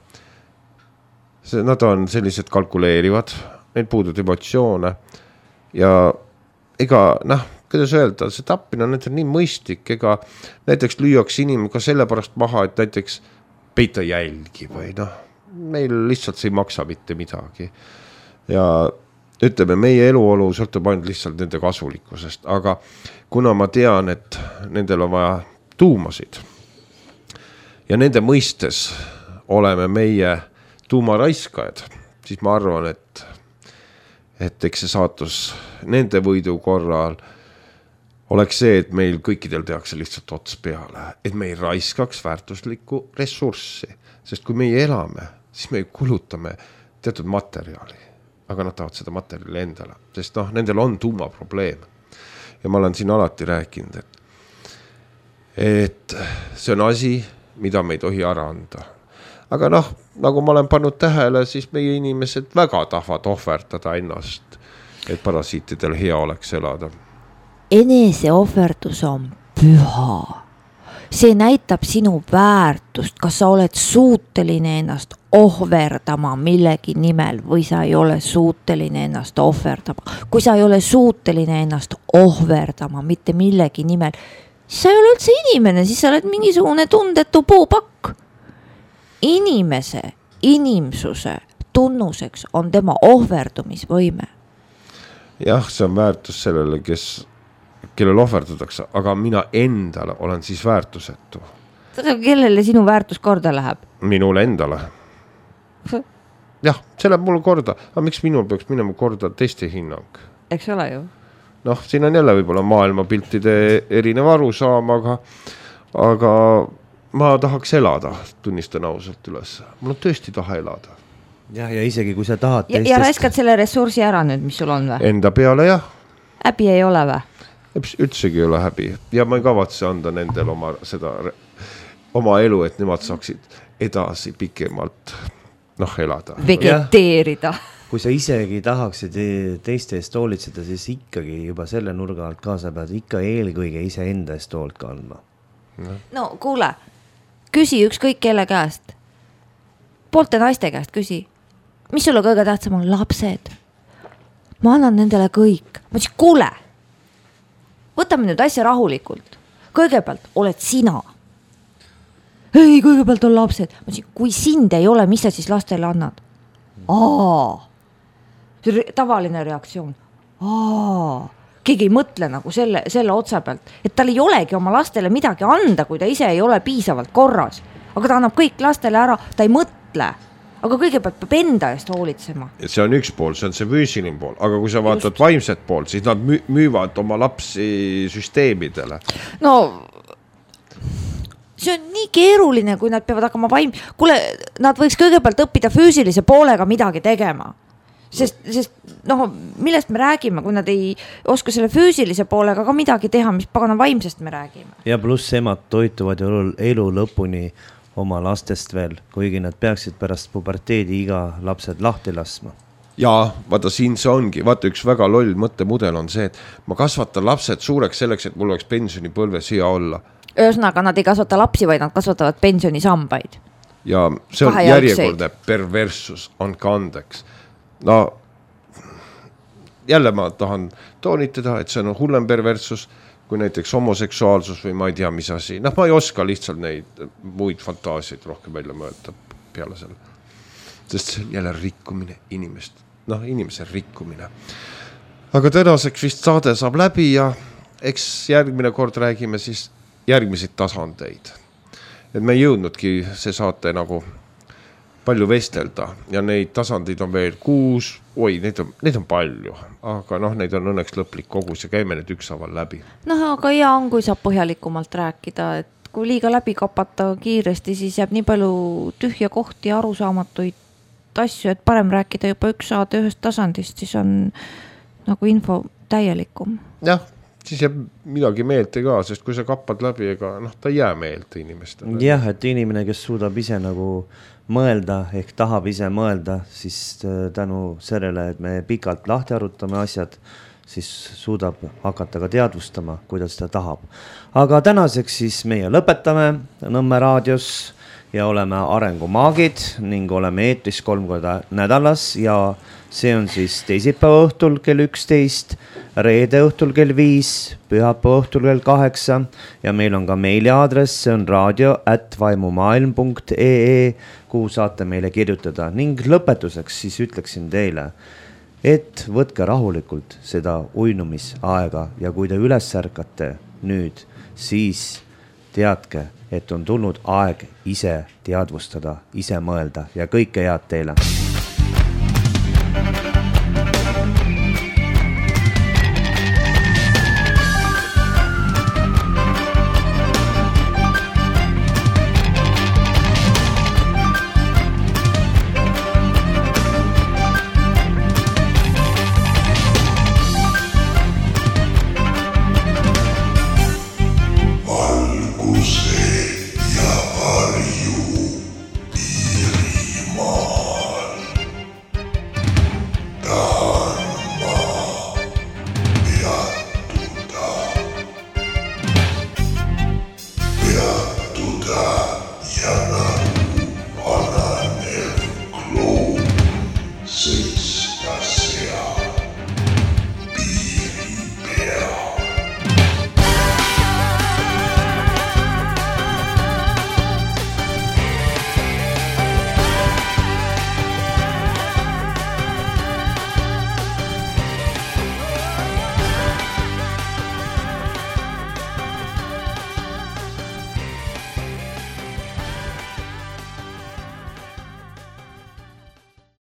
nad on sellised kalkuleerivad, neil puudud emotsioone ja ega, kuidas öelda, see tappina on nii mõistlik, ega näiteks lüüaks inimene ka sellepärast maha, et näiteks peita jälgi või meil lihtsalt see ei maksa mitte midagi. Ja ütleme, meie eluolu sõltub ainult lihtsalt nende kasulikkusest, aga kuna ma tean, et nendel on vaja tuumasid ja nende mõistes oleme meie tuumaraiskajad, siis ma arvan, et eks see saatus nende võidu korral oleks see, et meil kõikidel tehakse lihtsalt ots peale, et me ei raiskaks väärtuslikku ressurssi, sest kui meie elame, siis me kulutame teatud materjali, aga nad tahavad seda materjali endale, sest nendel on tuumaprobleem. Ja ma olen siin alati rääkinud, et see on asi, mida me ei tohi ära anda. Aga nagu ma olen pannud tähele, siis meie inimesed väga tahavad ohverdada ennast, et parasiitidel hea oleks elada. Eneseohverdus on püha. See näitab sinu väärtust, kas sa oled suuteline ennast ohverdama millegi nimel või sa ei ole suuteline ennast ohverdama. Kui sa ei ole suuteline ennast ohverdama mitte millegi nimel, siis sa ei ole üldse inimene, siis sa oled mingisugune tundetu puupakk. Inimsuse tunnuseks on tema ohverdumisvõime. Jah, see on väärtus sellele, kellel ohverdatakse, aga mina endale olen siis väärtusetu. Kellele sinu väärtus korda läheb? Minule endale. Jah, see läheb mulle korda. Aga miks minul peaks minema korda teiste hinnang? Eks ole ju. Siin on jälle võib-olla maailmapiltide erinev arusaam, aga ma tahaks elada, tunnistan ausalt üles. Mul on tõesti taha elada. Ja isegi kui sa tahad teistest... Ja raiskad selle ressursi ära nüüd, mis sul on või? Enda peale, jah. Häbi ei ole või? Üldsegi ei ole häbi ja ma ei kavatse anda nendel oma elu, et nemad saaksid edasi pikemalt elada. Vegeteerida. Kui sa isegi tahaksid teiste eest hoolitseda, siis ikkagi juba selle nurga alt kaasa pead ikka eelkõige ise enda eest hoolt kandma. No kuule, küsi ükskõik kelle käest. Poolte naiste käest küsi. Mis sulle kõige tähtsam on? Lapsed. Ma annan nendele kõik. Ma ütlesin, kuule, võtame nüüd asja rahulikult. Kõigepealt oled sina. Ei, kõigepealt on lapsed. Ma ütlesin, kui sind ei ole, mis sa siis lastele annad? Tavaline reaktsioon. Keegi ei mõtle nagu selle otsa pealt, et tal ei olegi oma lastele midagi anda, kui ta ise ei ole piisavalt korras. Aga ta annab kõik lastele ära, ta ei mõtle. Aga kõigepealt peab enda eest hoolitsema. See on üks pool, see on see füüsiline pool. Aga kui sa vaatad vaimset pool, siis nad müüvad oma lapsi süsteemidele. No, see on nii keeruline, kui nad peavad hakkama Kuule, nad võiks kõigepealt õppida füüsilise poolega midagi tegema. Sest millest me räägime, kui nad ei oska selle füüsilise poolega ka midagi teha, mis pagana vaimsest me räägime. Ja pluss emad toituvad elu lõpuni oma lastest veel, kuigi nad peaksid pärast puberteedi iga lapsed lahti laskma. ja vaata siin see ongi, vaata üks väga loll mõttemudel on see, et ma kasvatan lapsed suureks selleks, et mul oleks pensionipõlves hea olla. Ühesõnaga, nad ei kasvata lapsi, vaid nad kasvatavad pensionisambaid. Ja see on järjekordne perverssus, andke andeks. No jälle ma tahan toonitada, et see on hullem perverssus kui näiteks homoseksuaalsus või ma ei tea, mis asi. Ma ei oska lihtsalt neid muid fantaasiaid rohkem välja mõelda peale selle. Sest see on jälle rikkumine inimest. Inimese rikkumine. Aga tänaseks vist saade saab läbi ja eks järgmine kord räägime siis järgmiseid tasandeid. Et me ei jõudnudki see saate nagu palju vestelda ja neid tasandeid on veel 6, neid on palju, aga neid on õnneks lõplik kogus ja käime need ükshaaval läbi. Aga hea on, kui saab põhjalikumalt rääkida, et kui liiga läbi kapata kiiresti, siis jääb nii palju tühja kohti ja arusaamatuid asju, et parem rääkida juba üks saade ühest tasandist, siis on nagu info täielikum. Jah, siis jääb midagi meelte ka, sest kui sa kappad läbi, ega ta ei jää meelte inimestele. Jah, et inimene, kes suudab ise nagu mõelda ehk tahab ise mõelda, siis tänu sellele, et me pikalt lahti arutame asjad, siis suudab hakata ka teadvustama, kuidas ta tahab. Aga tänaseks siis meie lõpetame Nõmme raadios ja oleme arengumaagid ning oleme eetris 3 korda nädalas ja see on siis teisipäeva õhtul kell 11, reede õhtul kell 5, pühapäeva õhtul kell 8 ja meil on ka meiliaadress, see on radio@vaimumaailm.ee, kuhu saate meile kirjutada ning lõpetuseks siis ütleksin teile, et võtke rahulikult seda uinumisaega ja kui te üles ärkate nüüd, siis teadke, et on tulnud aeg ise teadvustada, ise mõelda ja kõike head teile.